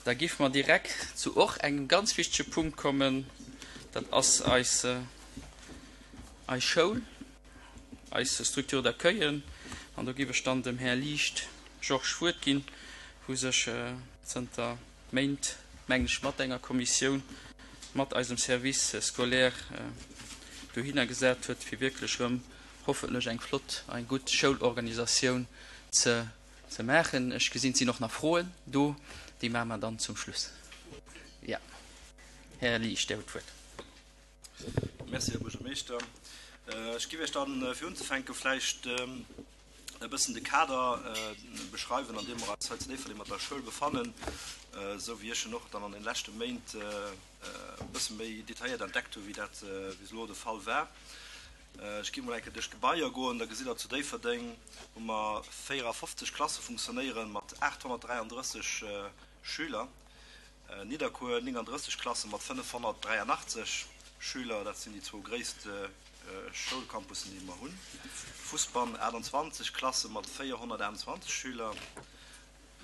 Da géife mer direkt zu och engem ganz wichtege Punkt kommen, dat ass eis, eis Schoul, eis Structure d'accueil. An do géif ech dann dem Här Liecht Georges d'Wuert ginn, wou sech zënter Méint, mengen ech, mat enger Kommissioun, mat eisem Service scolaire dohinner gesat huet, fir wierklech erëm hoffentlech eng flott, eng gutt Schoulorganisatioun ze ze maachen. Ech gesinn, et sinn och nach Froen do, déi maache mer dann zum Schluss. Jo, Här Liesch, Dir hutt d'Wuert. Merci, Här Buergermeeschter. Ech géif Iech dann, fir unzefänken, vläicht e bëssen de Kader beschreiwen, an deem mer eis hei zu Déifferdeng mat der Schoul befannen, esou wéi ech en och dann an de leschte Méint e bësse méi detailléiert entdeckt hu wéi dat bis elo de Fall war. Ech géif mol eng Kéier duerch d'Gebaier goen, da gesitt Der, zu Déifferdeng hu mer 54 Klasse funktionéieren mat 833 Schüler, Nidderkuer 39 Klasse mat 583 Schüler, dat sinn déi zwou gréisst Schoulcampussen, déi mer hunn, Fussbann 28 Klasse mat 428 Schüler,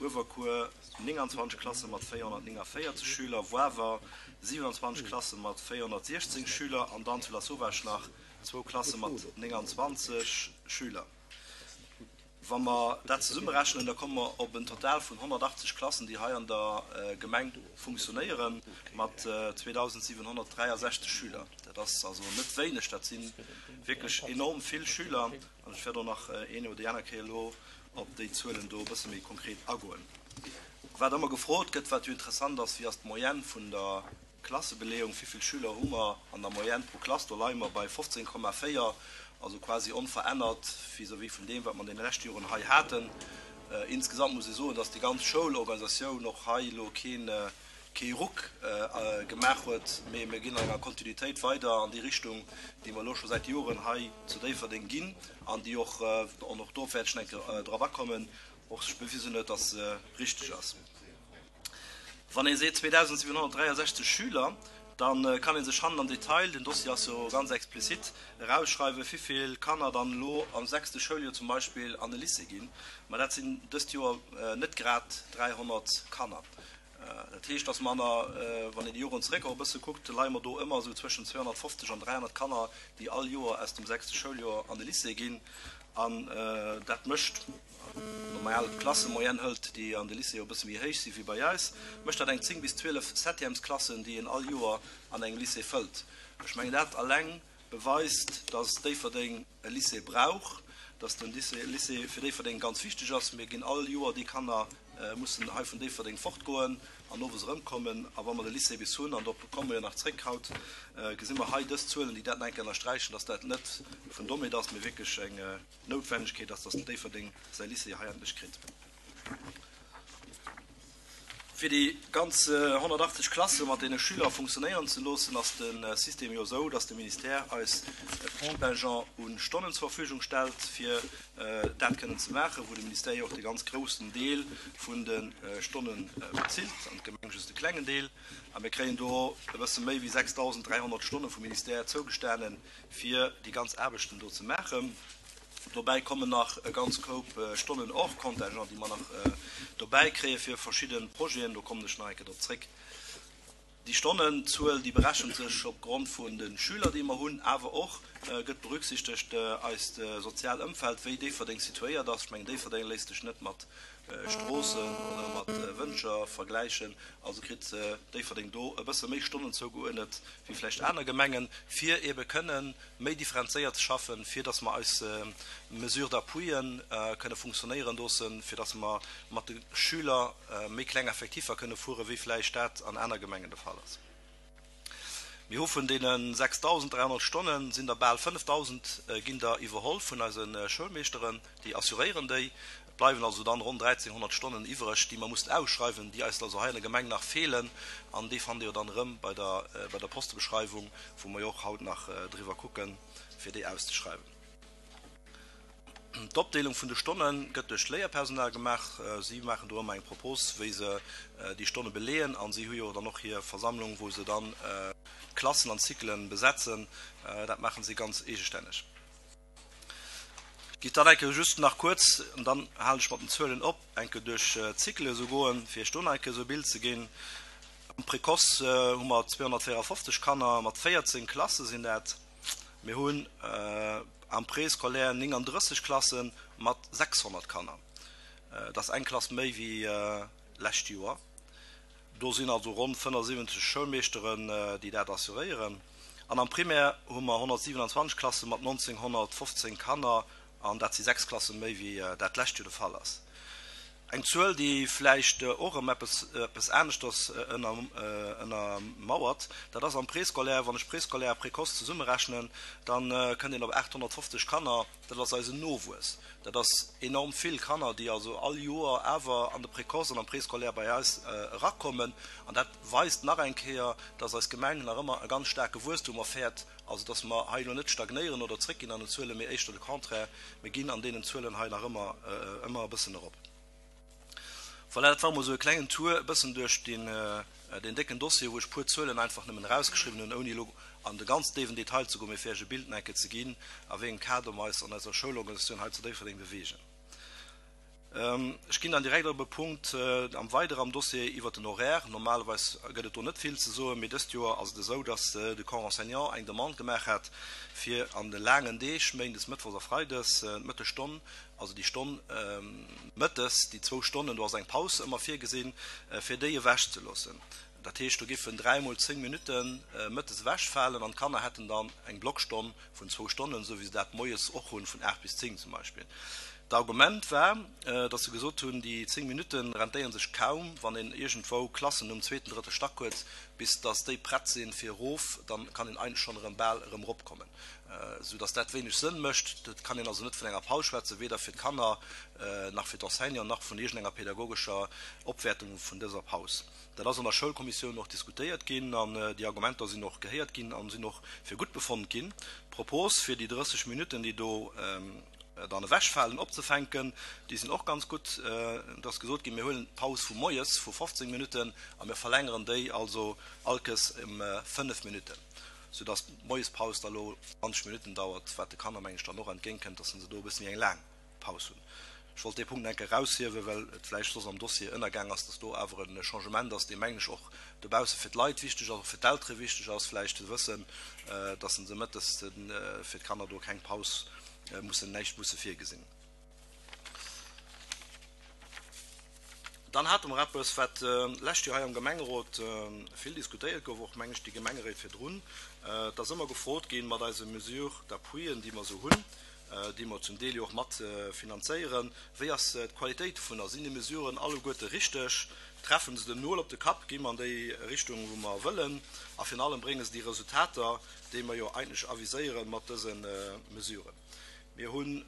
Uewerkuer 29 Klasse mat 449 Schüler, Woawer 27 Klasse mat 416 Schüler an dann zu Lasauvage nach zwou Klasse mat 29 Schüler. Wa mer dat zesummerechnen, da komme mer op en Total vun 180 Klassen, déi hei an der Gemeng funktionéieren, mat 2.763 Schüler. Dat ass also net wéineg, dat si wierklech enorm vill Schüler. An ech wäert och nach een oder déi aner Kéier elo op déi Zuelen do e bësse méi konkret agoen. Wat ëmmer gefrot gëtt, wat jo interessant ass, Wéi ass d'Moyenne vun der Klassebeleeung? Wéi vill Schüler hu mer an der Moyenne pro Klass? Do leie mer bei 15,4, also quasi onverännert vis-à-vis vun deem, wat mer an deene leschte Joren hei haten. Insgesamt muss ee soen, dass déi ganz Schoulorganisatioun och hei elo keen kee Ruck gemaach huet, mee mir ginn an enger Kontinuitéit weider an déi Richtung, déi mer elo scho säit Joren hei zu Déifferdeng ginn an déi och, an och do wäert ech nach eng Kéier drop akommen, och sech bewisen huet, dass se richteg ass. Wann ee seet 2.763 Schüler, da kann ee sech hannen am Detail, den Dossier ass jo ganz explizit, erausschreiwen, wivill Kanner dann elo am sechste Schouljoer zum Beispill an de Lycée ginn. Ma dat sinn dëst Joer net grad 300 Kanner. Dat heescht, dass mer an der, wann een déi Joren zeréck och e bësse kuckt, leie mer do ëmmer esou zwëschen 250 an 300 Kanner, déi all Joer aus dem sechste Schouljoer an de Lycée ginn. An dat mécht, normal d'Klassemoyenne hëlt, déi an de Lycée jo e bësse méi héich si wéi bei eis, mécht dat eng 10 bis 12 Septièmesklassen, déi een all Joer an engem Lycée fëllt. Ech mengen, dat alleng beweist, dass Déifferdeng e Lycée brauch, dass den Lycée fir Déifferdeng ganz wichteg ass. Mir ginn all Joer déi Kanner mussen hei vun Déifferdeng fortgoen an owes erëmkommen. A wa mer de Lycée bis hunn, an dorop komme mer jo nach zréck haut, gesi mer hei dës Zuelen, déi dat nach eng Kéier ënnersträichen, dass dat net vun Dommheet ass, mee wierklech eng Noutwennegkeet ass, dass Déifferdeng säi Lycée hei endlech kritt. Fir déi ganz 180 Klasse mat deene Schüler funktionéieren ze loossen, ass de System jo esou, dass de Ministère eis e Contingent u Stonnen zur Verfügung stellt, fir dat kënnen ze maachen, wou de Ministère jo och de ganz groussen Deel vun de Stonne bezilt an d'Gemeng just e klengen Deel. A mir kréien do e bësse méi wéi 6.300 Stonne vum Ministère zougestanen, fir déi ganz Aarbechten do ze maachen. Dobäi kommen nach e ganz Koup Stonnen hors contingent, déi mer nach dobäi kréie fir verschidde Projeten. Do kommen ech nach eng Kéier drop zréck. Déi Stonnenzuel, déi berechent sech opgrond vun de Schüler, déi mer hunn, awer och gëtt berücksichtegt eist sozial Ëmfeld, wéi Déifferdeng situéiert ass. Ech mengen, Déifferdeng léisst sech net mat Stroossen oder mat Wëncher vergläichen. Also kritt Déifferdeng do e bësse méi Stonnen zougeuerdnet wéi vläicht aner Gemengen, fir eebe kënnen méi differenzéiert ze schaffen, fir dass mer eis Mesures d'appuien kënne funktionéieren loossen, fir dass mer mat de Schüler méi kleng Effektiffer kënne fueren, wéi vläicht dat an aner Gemengen de Fall ass. Mir hu vun deene 6.300 Stonnen, sinn der bal 5.000 ginn der iwwerholl vun eise Schoulmeeschteren, déi assuréieren déi. Et bleiwen also dann ronn 1.300 Stonnen iwwereg, déi mer mussen ausschreiwen, déi eis also hei an der Gemeng nach feelen. An déi fannt Dir jo dann erëm bei der bei der Postebeschreiwung, wou mer jo och haut nach driwwer kucken, fir déi auszeschreiwen. D'Opdeelung vun de Stonne gëtt duerch d'Léierpersonal gemaach. Si maachen do ëmmer eng Propos, wéi se déi Stonne beleeën. A si hu jo dann och hir Versammlung, wou se dann d'Klassen an d'Cyclen besetzen. Dat maachen si ganz eegestänneg. Giff dann eng Kéier just nach kuerz, an dann halen ech mat den Zuelen op, eng Kéier duerch d'Cycle esou goen, fir Iech do nach eng Kéier esou e Bild ze ginn. Am Précoce hu mer 254 Kanner, mat 14 Klasse sinn dat. Mir hunn am Préscolaire 39 Klasse mat 600 Kanner. Dat ass eng Klass méi wéi lescht Joer. Do sinn also ronn 75 Schoulmeeschteren, déi dat assuréieren. An am Primaire hu mer 127 Klasse mat 1.915 Kanner, an dat si 6 Klasse méi wéi dat d'lescht Joer de Fall ass. Eng Zuel, déi vläicht och erëm eppes aneschters ënnermauert, dat ass am Préscolaire. Wann ech Préscolaire a Précoce zesummerechnen, da kënnt een op 850 Kanner. Dat ass eisen Nowuess. Dat ass enorm vill Kanner, déi also all Joer awer an de Précoce an am Préscolaire bei eis erakommen. An dat weist nach eng Kéier, dass eis Gemeng nach ëmmer e ganz staarke Wuesstum erfäert. Also dass mer hei elo net stagnéieren oder zréckginn an den Zuelen, mee éischter de Contraire, mir ginn an deenen Zuelen hei nach ëmmer ëmmer e bëssen erop. Voilà, dat war emol esou e klengen Tour e bëssen duerch deen deen décken Dossier, wou ech e puer Zuelen einfach nëmmen erausgeschriwwen hunn, ouni elo an de ganz déiwen Detail ze goen, mee fir Iech e Bild nach eng Kéier ze ginn, a wéi engem Kader mer eis an eiser Schoulorganisatioun hei zu Déifferdeng beweegen. Ech ginn dann direkt op e Punkt am weidere am Dossier iwwert den Horaire. Normalerweis gëtt et do net vill ze soen, mee dëst Joer ass et esou, dass de Corps enseignant eng Demande gemaach hat, fir an de laangen Deeg, méindes, mëttwochs a freides, d'Mëttesstonn, also déi Stonn mëttes, déi zwou Stonnen, do ass eng Paus ëmmer virgesinn, fir déi ewechzeloossen. Dat heescht, do giffen dräimol 10 Minutte mëttes ewechfalen an d'Kanner hätten dann eng Blockstonn vun zwou Stonnen, esou wéi se dat moies och hunn, vun 8 bis 10 zum Beispill. D'Argument war, datt se gesot hunn, déi 10 Minutte rentéiere sech kaum, wann een iergendwou Klassen um zweeten, drëtte Stack huet, bis datt déi prett sinn fir erof, da kann een eigentlech schonn erëm bal erëm eropkommen, esou datt dat wéineg Sënn mécht. Et kann een also net vun enger Paus schwätzen, weder fir d'Kanner nach fir d'Enseignanten nach vun iergendenger pedagogescher Opwäertung vun dëser Paus. Dat ass an der Schoulkommissioun och diskutéiert ginn an déi Argumenter sinn och gehéiert ginn a sinn och fir gutt befonnt ginn. D'Propos, fir déi 30 Minutten, déi do dann ewechfalen, opzefänken, déi sinn och ganz gutt. Et ass gesot ginn, mir huelen d'Paus vu moies vu 15 Minutten a mir verlängeren déi also allkes ëm 5 Minutten, soudass d'Moiespaus da lo 20 Minutten dauert, wat de Kanner, meng ech, dann och entgéintkënnt, dass se do e bësse méi eng laang Paus hunn. Ech wollt dee Punkt nach eng Kéier eraushiewen, well et vläicht soss am Dossier ënnergaang ass, dass do awer e Changement ass, dee mengen ech och dobausse fir d'Leit wichteg ass, och fir d'Eltere wichteg ass vläicht ze wëssen, dass se mëttes fir d'Kanner do keng Paus mussen, näischt musse virgesinn. Dann hate mer eppes, wat d'lescht Joer hei am Gemengerot vill diskutéiert gouf, och meng ech déi Gemengeréit virdrun. Et ass ëmmer gefrot ginn, mat eise Mesures d'appuien, déi mer esou hunn, déi mer zum Deel jo och mat finanzéieren, wéi ass d'Qualitéit dovunner? Sinn déi Mesuren alleguerte richteg? Treffen se den Nol op de Kapp? Gi mer an déi Richtung, wou mer wëllen? A virun allem, brénge se déi Resultater, déi mer jo eigentlech aviséiere mat dëse Mesuren? Mir hunn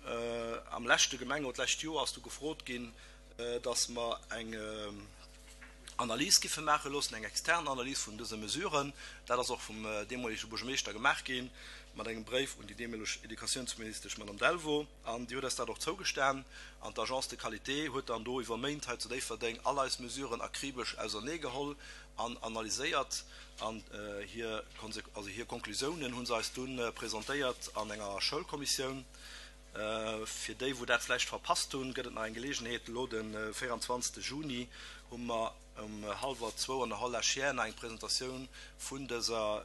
am leschte Gemengerot, d'lescht Joer ass du gefrot ginn, dass mer eng Analys giffe maache loossen, eng extern Analys vun dëse Mesuren. Dat ass och vum deemolege Buergermeeschter gemaach gi mat engem Bréif un déi deemoleg Educatiounsministesch Madame Delvaux. An déi huet eis dat och zougestan. An d'Agence de qualité huet dann do iwwer Méint hei zu Déifferdeng all eis Mesuren akribesch auserneegeholl an analyséiert. An hir, also hir Konklusiounen hu se eis dunn presentéiert an enger Schoulkommissioun. Fir déi wou dat vläicht verpasst hunn, gëtt et nach eng Geleegenheet, elo de 24 Juni hu mer um hallwer zwou an der Hall La Chiers nach eng Presentatioun vun dëser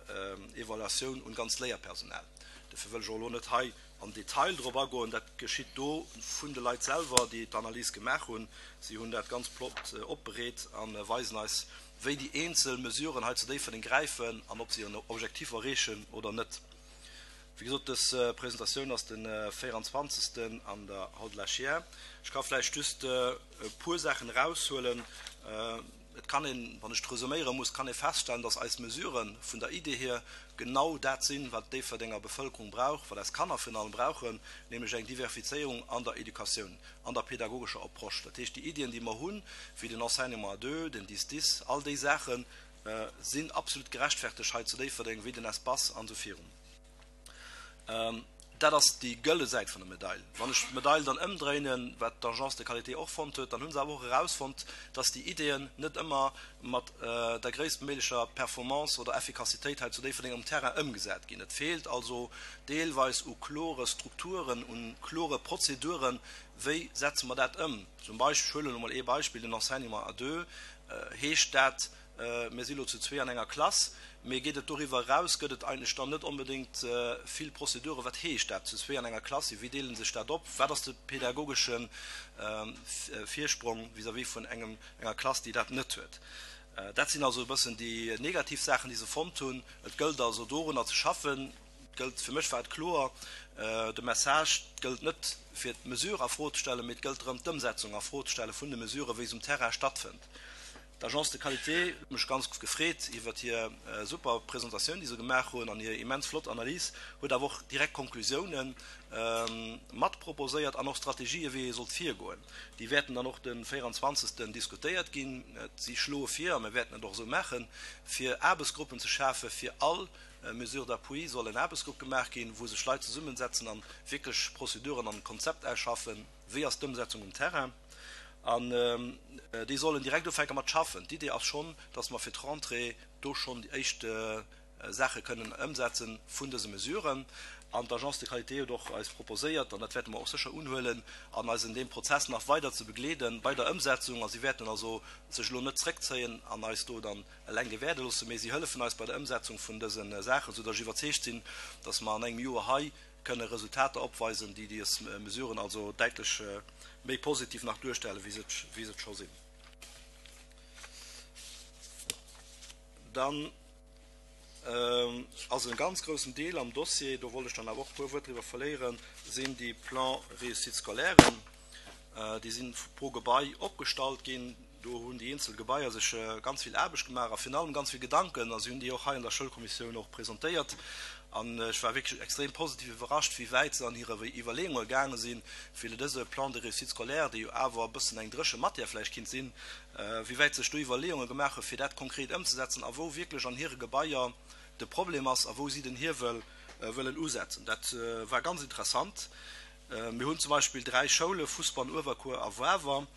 Evaluatioun un d'ganzt Léierpersonal. Dofir wëll ech och elo net hei am Detail drop agoen, dat geschitt do vun de Leit selwer, déi d'Analys gemaach hunn. Si hunn dat ganz flott opbereet a weisen eis, wéi déi eenzel Mesuren hei zu Déifferdeng gräifen an ob se hiren Objektif erreechen oder net. Wéi gesot, dës Presentatioun ass de 24. an der Hall de la Chiers. Ech ka vläicht just e puer Saachen eraushuelen. Et kann een, wann ech et resuméiere muss, kann ee feststellen, dass eis Mesurë vun der Idee hier genau dat sinn, wat d'Déifferdenger Bevëlkerung brauch, wat eis Kanner virun allem brauchen, nämlech eng Diverfizéierung an der Educatioun, an der pedagogescher Approche. Dat heescht, déi Iddien, déi mer hunn, wéi den Enseignement à deux, den Dix-dix, all déi Saachen, sinn absolut gerechtfertegt hei zu Déifferdeng, wéi den Espace an esou virun. Dat ass déi gëlle Säit vun der Medail. Wann ech d'Medail dann ëmdréinen, wat d'Agence de qualité och fonnt huet, dann hu se awer och erausfonnt, dass déi Ideeën net ëmmer mat der gréisstméiglecher Performance oder Effikassitéit hei zu Déifferdeng um Terrain ëmgesat ginn. Et feelt also deelweis u klore Strukturen, u klore Prozeduren, wéi setze mer dat ëm. Zum Beispill, ech huelen elo mol ee Beispill, den Enseignement à deux, heescht dat, Mir si lo zu zwee an enger Klass, mee geet et doriwwer eraus, gëtt et eigentlech dann net onbedéngt vill Prozeduren. Wat heescht dat, zu zwee an enger Klass sinn? Wéi deele sech dat op? Wat ass de pedagogesche Virsprong vis-à-vis vun engem, enger Klass, déi dat net huet? Dat sinn also e bëssen déi negativ Saachen, déi se fonnt hunn. Et gëllt also dorunner ze schaffen. Et gëllt, fir mech war et kloer, de Message, et gëllt net fir d'Mesure a Fro ze stellen, mee et gëllt drëm, d'Ëmsetzung a Fro ze stelle vun de Mesuren, wéi se um Terrain stattfënnt. D'Agence de qualité huet mech ganz gefreet iwwert hir super Presentatioun, déi se gemaach hunn, an hir immens flott Analys, huet awer och direkt Konklusiounen mat proposéiert an och Strategië wéi ee sollt virgoen. Déi wäerten dann och de 24. Diskutéiert ginn. Si schloe vir, a mir wäerten et och esou maachen, fir Aarbechtsgruppen ze schafe fir all Mesure d'appui soll en Aarbechtsgrupp gemaach ginn, wou sech Leit zesummensetzen an wierklech Prozeduren an Konzept ausschaffen, wéi ass d'Ëmsetzung um Terrain. An déi sollen direkt ufänke mat schaffen. D'Idee ass schonn, dass mer fir d'Rentrée do schonn déi éischt Saache kënnen ëmsetze vun dëse Mesuren. An d'Agence de qualité huet och eis proposéiert, an dat wäerte mer och sécher unhuelen, an eis en deem Prozess nach weider ze begleeden bei der Ëmsetzung. A si wäerten also sech elo net zréckzéien an eis do dann eleng gewäerde loossen, mee si hëllefen eis bei der Ëmsetzung vun dëse Saachen, soudass ech iwwerzeegt sinn, dass mer an engem Joer hei kënne Resultater opweisen, déi dës Mesuren also däitlech méi positiv nach duerstellen, wéi se et scho sinn. Dann ass e ganz groussen Deel am Dossier, do wollt ech dann awer och e puer Wuert driwwer verléieren, sinn déi Plans réussite scolaires. Déi si pro Gebai opgestallt ginn. Do hunn déi eenzel Gebaier sech ganz vill Aarbecht gemaach a virun allem ganz vill Gedanken a si hunn déi och hei an der Schoulkommissioun och presentéiert. An ech war wierklech extrem positiv iwwerrascht, wéi wäit se an hire Iwwerleeunge gaange sinn, fir dëse Plan de réussite scolaire, dee jo awer e bëssen eng dréche Matière vläicht kinnt sinn, wéi wäit se sech do Iwwerleeunge gemaach hunn, fir dat konkret ëmzesetzen a wou wierklech an hire Gebaier de Problem ass a wou si den Hiewel wëllen usetzen. Dat war ganz interessant. Mir hunn zum Beispill 3 Schoule, Fussbann, Uewerkuer a Wawer,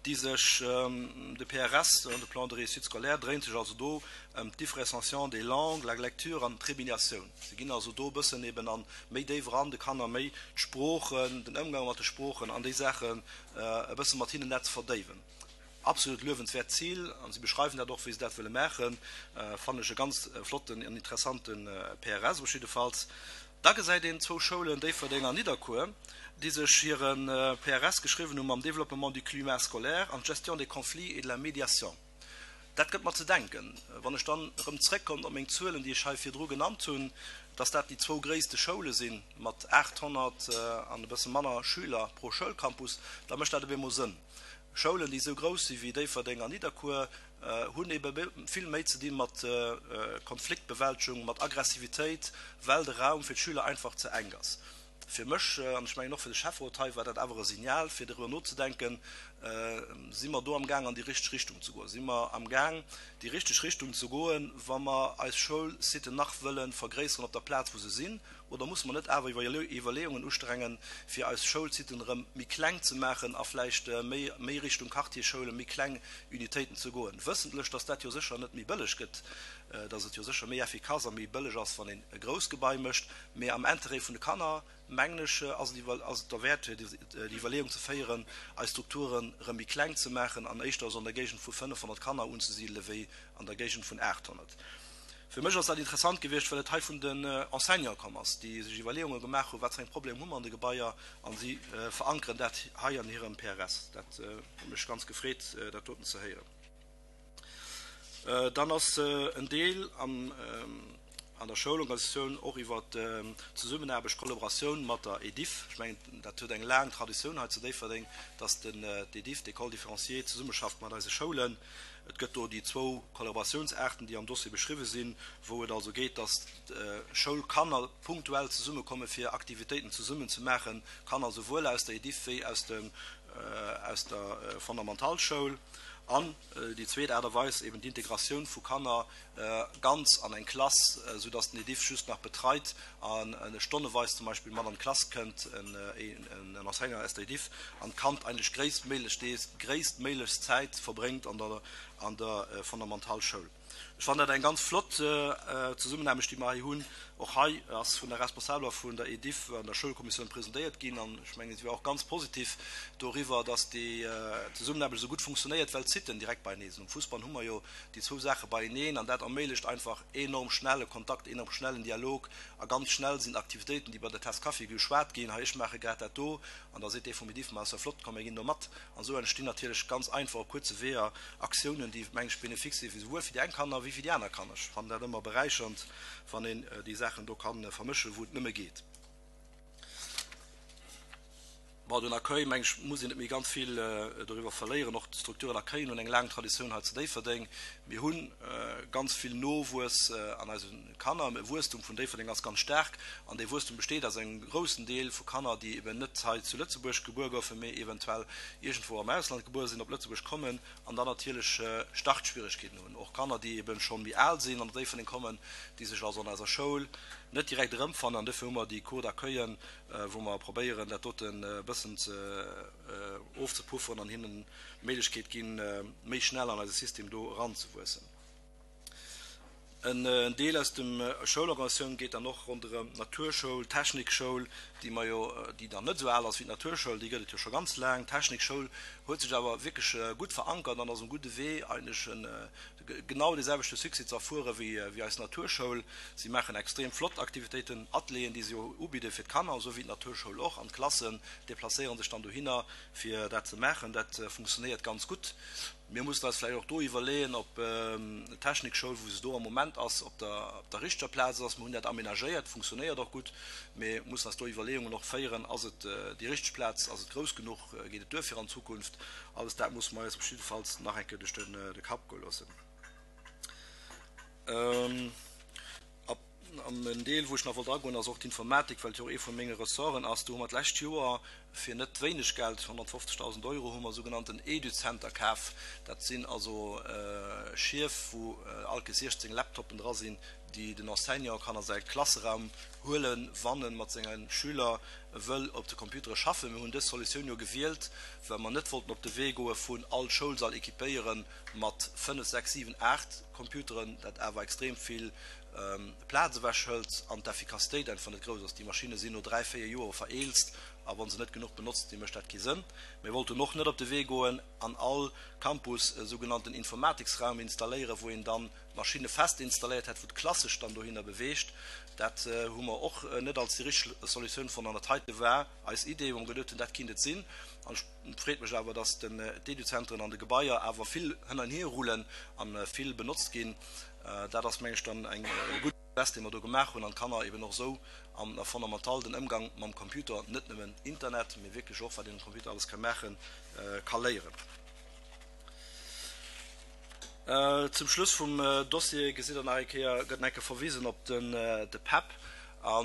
déi sech, de PRS, de Plan de réussite scolaire, dréint sech also do ëm d'Differenciation des langues, la lecture an d'Réminiatioun. Se ginn also do e bëssen eben an méi déif eran, de Kanner méi d'Sproochen, den Ëmgang mat de Sproochen an déi Saachen e bësse mat hinnen dat ze verdéiwen. Absolut luewenswäert Zil, an si beschreiwen dat och, wéi se dat wëlle maachen, fannen ech e ganz flotten an interessante PRS op jiddefalls. Da gesäit een zwou Schoulen, Déifferdeng an Nidderkuer, déi sech hire PRS geschriwwen hu mam Développement du climat scolaire an d'Gestion des conflits et de la médiation. Dat gëtt mer ze denken, wann ech dann erëm zrëckkommt op meng Zuelen, déi ech hei virdru genannt hunn, dass dat déi zwou gréisste Schoule si mat 800 an e bësse manner Schüler pro Schoulcampus, da mécht dat op eemol Sënn. Schoulen, déi esou grouss si wéi Déifferdeng an Nidderkuer, hunn ebe vill méi ze di mat Konfliktbewältegung, mat Aggressivitéit, well de Raum fir d'Schüler einfach ze enk ass. Fir mech, an ech mengen och fir de Schäfferot hei, war dat awer e Signal, fir doriwwer nozedenken, Si mer do am Gaang an déi richteg Richtung ze goen? Si mer am Gaang déi richteg Richtung ze goen, wa mer eis Schoulsiten nach wëlle vergréisseren op der Plaz, wou se sinn? Oder musse mer net awer Iwwerleeungen ustrengen, fir eis Schoulsiten erëm méi kleng ze maachen a vläicht méi méi Richtung Quartiersschoulen, méi kleng Unitéiten ze goen, wëssentlech, dass dat jo sécher net méi bëlleg gëtt, dass et jo sécher méi effikass a méi bëlleg ass, wann een e grousst Gebai mécht, mee am Interêt vun de Kanner, mengen ech, ass et ass et derwäert, fir déi Iwwerleeung ze féieren, eis Strukturen erëm méi kleng ze maachen an éischter esou an der Géigend vu 500 Kanner unzesidele wéi an der Géigend vun 800. Fir mech ass dat interessant gewiescht, well et hei vun den Enseignanten komm ass, déi sech Iwwerleeunge gemaach hunn, wat fir eng Problemer hu mer an de Gebaier, a si verankeren dat hei an hirem PRS. Dat huet mech ganz gefreet, dat doten ze héieren. Dann ass en Deel an der Schoulorganisatioun och iwwer d'Zesummenaarbecht, Kollaboratioun mat der EDIFF. Ech mengen, dat huet eng laang Traditioun hei zu Déifferdeng, dass d'EDIFF, d'École différenciée, zesummeschafft mat eise Schoulen. Et gëtt do déi zwou Kollaboratiounsaarten, déi am Dossier beschriwwe sinn, wou et also geet, dass d'Schoulkanner punktuell zesummekomme fir Aktivitéiten zesummen ze maachen, Kanner souwuel aus der Ediff wéi aus der Fondamentalschoul. An déi zweet Aart a Weis, eben d'Integratioun vu Kanner ganz an eng Klass, esou dass den Ediff just nach betreit an stonneweis zum Beispill mat an d'Klass kënnt, en Enseignant aus der Ediff, an d'Kand eigentlech gréisstméiglech déi gréisstméiglechst Zäit verbréngt an der an der Fondamentalschoul. Ech fannen dat eng ganz flott Zesummenaarbecht, déi mer hei hunn. Och hei ass vun der Responsabeler vun der Ediff an der Schoulkommissioun presentéiert ginn an ech mengen, si war och ganz positiv doriwwer, dass déi Zesummenaarbecht esou gutt funktionéiert, well d'Siten direkt beienee sinn. Um Fussbann hu mer jo déi zwou Saache beieneen an dat erméiglecht einfach enorm schnell e Kontakt, enorm schnell en Dialog a ganz schnell sinn d'Aktivitéiten, déi bei der Taas Kaffi geschwat ginn, hei ech maache grad dat do an da seet dee vum Ediff, ma ass jo flott, komm mir ginn do mat. An esou entstinn natierlech ganz einfach op kuerze Weeër Aktiounen, déi, meng ech, bénéfique si fir souwuel fir déi eng Kanner wéi fir déi aner Kanner. Ech fannen dat ëmmer beräichernd, wann een déi Saachen do ka vermëschen, wou et nëmme geet. Bon, den Accueil, meng ech, muss een net méi ganz vill doriwwer verléieren. Och d'Structure d'accueillen hunn eng laang Traditioun hei zu Déifferdeng. Mir hu ganz vill Nowuess an eise Kanner. De Wuesstum vun Déifferdeng ass ganz staark an dee Wuesstum besteet aus engem groussen Deel vu Kanner, déi eben net hei zu Lëtzebuerg gebuer goufen, mee eventuell iergendwou am Ausland gebuer sinn, op Lëtzebuerg kommen an dann natierlech Startschwierigkeeten hunn. Och Kanner, déi eben scho méi al sinn an op Déifferdeng kommen, déi sech also an eiser Schoul net direkt erëmfannen. An dofir hu mer déi Cours d'accueillen, wou mer probéieren, dat doten e bëssen ze ofzepufferen an hinnen d'Méiglechkeet ginn, méi schnell an eise System do eranzewuessen. En Deel aus dem Schoulorganisatioun geet dann och ronderëm d'Naturschoul, d'Technikschoul, déi mer jo, déi dann net esou al ass wéi d'Naturschoul, déi gëtt et jo scho ganz laang. D'Technikschoul huet sech awer wierklech gutt verankert an ass um gudde Wee eigentlech genau dee selwechte Succès ze erfuere wéi eis Naturschoul. Si maachen extrem flott Aktivitéiten, Atelieren, déi si ubidde fir d'Kanner, esou wéi d'Naturschoul och, an d'Klassen deplacéiere sech dann dohinner fir dat ze maachen. Dat funktionéiert ganz gutt. Mir mussen eis vläicht och do iwwerleeën, ob d'Technikschoul, wou se do am Moment ass, op der richteger Plaz ass. Mir hunn dat aménagéiert, funktionéiert och gutt, mee mussen eis do Iwwerleeungen och féieren, Ass et déi richteg Plaz, ass et grouss genuch, geet et duer fir an Zukunft? Alles dat musse mer eis op jiddefalls nach eng Kéier duerch de Kapp goe loossen. An en Deel, wou ech nach wollt agoen, ass och d'Informatik, well et jo och ee vu menge Ressorten ass. Do hu mer d'lescht Joer fir net wéineg Geld, 150.000 Euro, hu mer sougenannten Educenter kaf. Dat sinn also Schief, wou all Kees 16 Laptoppen dra sinn, déi den Enseignant kann a säi Klasseraum huelen, wann e mat senge Schüler wëll op de Computere schaffen. Mir hunn dës Solutioun jo gewielt, well mer net wollten op de Wee goe vun all Schoulsall équipéiere mat 5, 6, 7, 8 Computeren, dat awer extrem vill Plaz ewech hëlt an d'Effikassitéit einfach net grouss ass. Déi Maschinne sinn no 3, 4 Joer vereelzt a wa se net genuch benotzt sinn, mécht dat kee Sënn. Mir wollten och net op de Wee goen an all Campus e sougenannten Informatiksraum installéieren, wou een dann d'Maschinne fest installéiert hätt, wou d'Klass sech dann dohinner beweegt. Dat hu mer och net als déi richteg Solutioun fonnt an dat heite war eis Idee, wou mer geduet hunn, dat kinnt et sinn. An et freet mech awer, dass d'Eduzentren an de Gebaier awer vill hënn an hier rullen a vill benotzt ginn. Dat ass, meng ech, dann eng gutt Geste, déi mer do gemaach hunn an d'Kanner eben och esou an der Fondamental den Ëmgang mam Computer, net nëmmen Internet, mee wierklech och, wat een um Computer alles ka maachen, ka léieren. Zum Schluss vum Dossier gesitt Der nach eng Kéier, gëtt nach eng Kéier verwisen op de PEP. A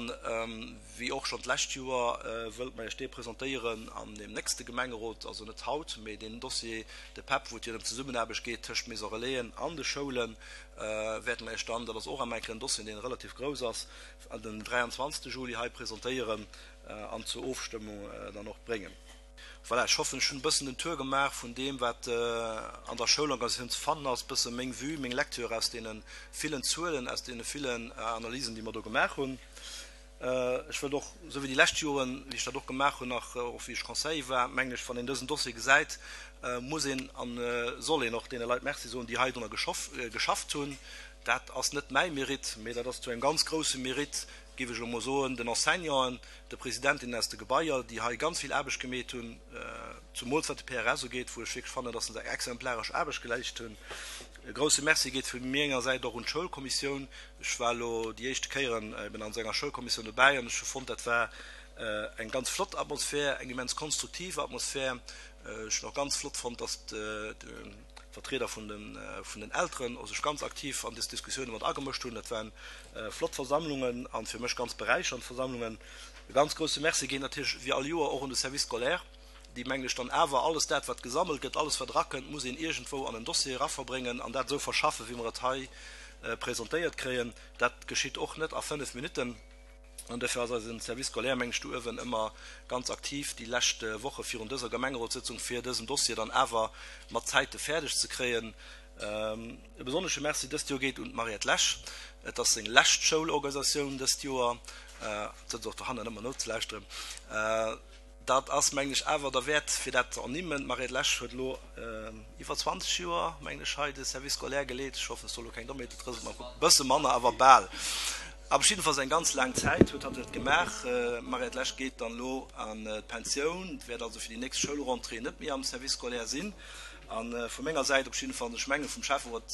wéi och schonn d'lescht Joer wëllt mer Iech dee presentéieren an deem nächste Gemengerot, also net haut, mee deen Dossier, de PEP, wou et jo ëm d'Zesummenaarbecht geet tëscht Maison Relaisen an de Schoulen, wäerte mer Iech dann, dat ass och eng Kéier en Dossier, dee relativ grouss ass, den 23. Juli hei presentéieren an zur Ofstëmmung dann och bréngen. Voilà, ech hoffen, ech hunn e bëssen den Tour gemaach vun deem, wat an der Schoulorganisatioun ze fannen ass, e bësse meng Vue, meng Lecture aus deene villen Zuelen, aus deene villen Analysen, déi mer do gemaach hunn. Ech wëllt och, esou wéi déi lescht Joren, wéi ech dat och gemaach hunn, nach och wéi ech Conseiller war, mengen ech, wann een dësen Dossier gesäit, muss een a soll een och deene Leit Merci soen, déi hei drunner geschafft hunn. Dat ass net mäi Mérite, mee dat ass zu engem ganz grousse Mérite, géif ech elo mol soen, den Enseignanten, de Presidentinnen aus de Gebaier, déi hei ganz vill Aarbecht gemeet hunn, zumools wat de PRS ugeet, wou ech wierklech fannen, dass se eng exemplaresch Aarbecht geleescht hunn. E grouse Merci geet vu menger Säit och un d'Schoulkommissioun. Ech war elo déi éischte Kéieren eben an esou enger Schoulkommissioun dobäi an ech hu fonnt, dat war eng ganz flott Atmosphär, eng immens konstruktiv Atmosphär. Ech hunn och ganz flott fonnt, dass d'Vertrieder vun den Elteren sech ganz aktiv an dës Diskussioune mat agemëscht hunn. Dat waren flott Versammlungen a fir mech ganz beräichernd Versammlungen. E ganz grousse Merci geet natierlech wéi all Joer och un de Service scolaire, déi, mengen ech, dann awer alles dat, wat gesammelt gëtt, alles, wat erakënnt, muss een iergendwou an en Dossier eraverbréngen an dat esou verschaffen, wéi mer et hei presentéiert kréien. Dat geschitt och net a fënnef Minutten. An dofir ass eise Service scolaire, mengen ech, do uewen ëmmer ganz aktiv déi lescht Woche virun dëser Gemengerotssëtzung, fir dësen Dossier dann awer mat Zäite fäerdeg ze kréien. E besonnesche Merci dëst Joer geet un d'Mariette Lesch. Et ass seng lescht Schoulorganisatioun dëst Joer. Et sëtzt och dohannen ëmmer nozelauschteren. Dat ass, mengen ech, awer derwäert, fir dat ze ernimmen. D'Mariette Lesch huet elo iwwer 20 Joer, mengen ech, hei de Service scolaire geleet. Ech hoffen, ech soe elo keng Dommheeten, et rëselt mer am Kapp. E bësse manner, awer bal. Awer jiddefalls eng ganz laang Zäit huet hatt et gemaach. D'Mariette Lesch geet dann elo an d'Pensioun, wäert also fir déi nächst Schoulrentrée net méi am Service scolaire sinn. A vu menger Säit op jidde Fall, an ech menge vum Schäfferot,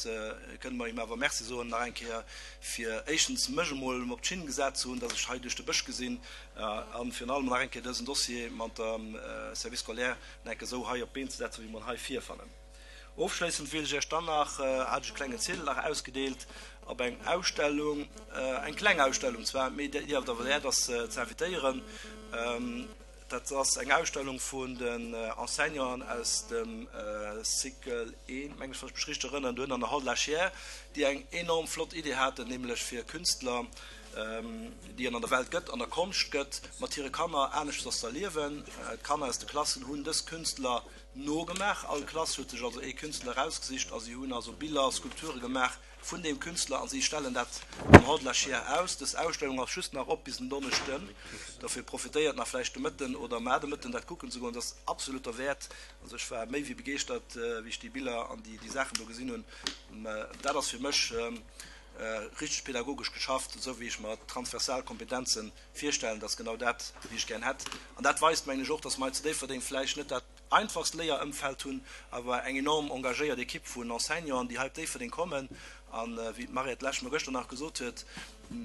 kënne mer him awer Merci soen nach eng Kéier, fir éischtens mech emol op d'Schinn gesat ze hunn, dass ech hei duerch de Bësch gesinn, a virun allem nach eng Kéier dësen Dossier mat dem Service scolaire nach eng Kéier esou hei op d'Been ze setzen, wéi mer en hei virfannen. Ofschléissend wéilt ech Iech dann nach, hat ech e klengen Ziedel nach ausgedeelt, op eng Ausstellung, eng kleng Ausstellung zwar, mee déi awer derwäert ass ze invitéieren. Dat ass eng Ausstellung vun den Enseignanten aus dem Cycle I, mengen ech, wann ech mech richteg erënneren, dohinner an der Hall de la Chiers, déi eng enorm flott Idee haten, nämlech fir Künstler, déi et an der Welt gëtt, an der Konscht gëtt, mat hire Kanner aneschters ze erliewen. D'Kanner aus de Klassen hunn dës Künstler nogemaach. All Klass huet sech also ee Künstler erausgesicht a si hunn also Biller, Skulpture gemaach vun deem Künstler a si stellen dat am Hall de la Chiers aus. Dës Ausstellung ass just nach op bis en Donneschden, dofir profitéiert nach vläicht de Mëtten oder mar de Mëtten dat kucken ze goen. Et ass absolut derwäert. Also ech war méi wéi begeeschtert, wéi ech déi Biller an déi Saachen do gesinn hunn. Dat ass fir mech richteg pädagogesch geschafft, esou wéi ech mer transversal Kompetenze virstellen. Dat ass genau dat, wéi ech gär hätt. An dat weist, mengen ech, och, dass mer hei zu Déifferdeng vläicht net dat einfachst Léierëmfeld hunn, awer eng enorm engagéiert Ekipp vun Enseignanten, déi hei op Déifferdeng kommen. A wéi d'Mariette Lesch mer gëschter nach gesot huet,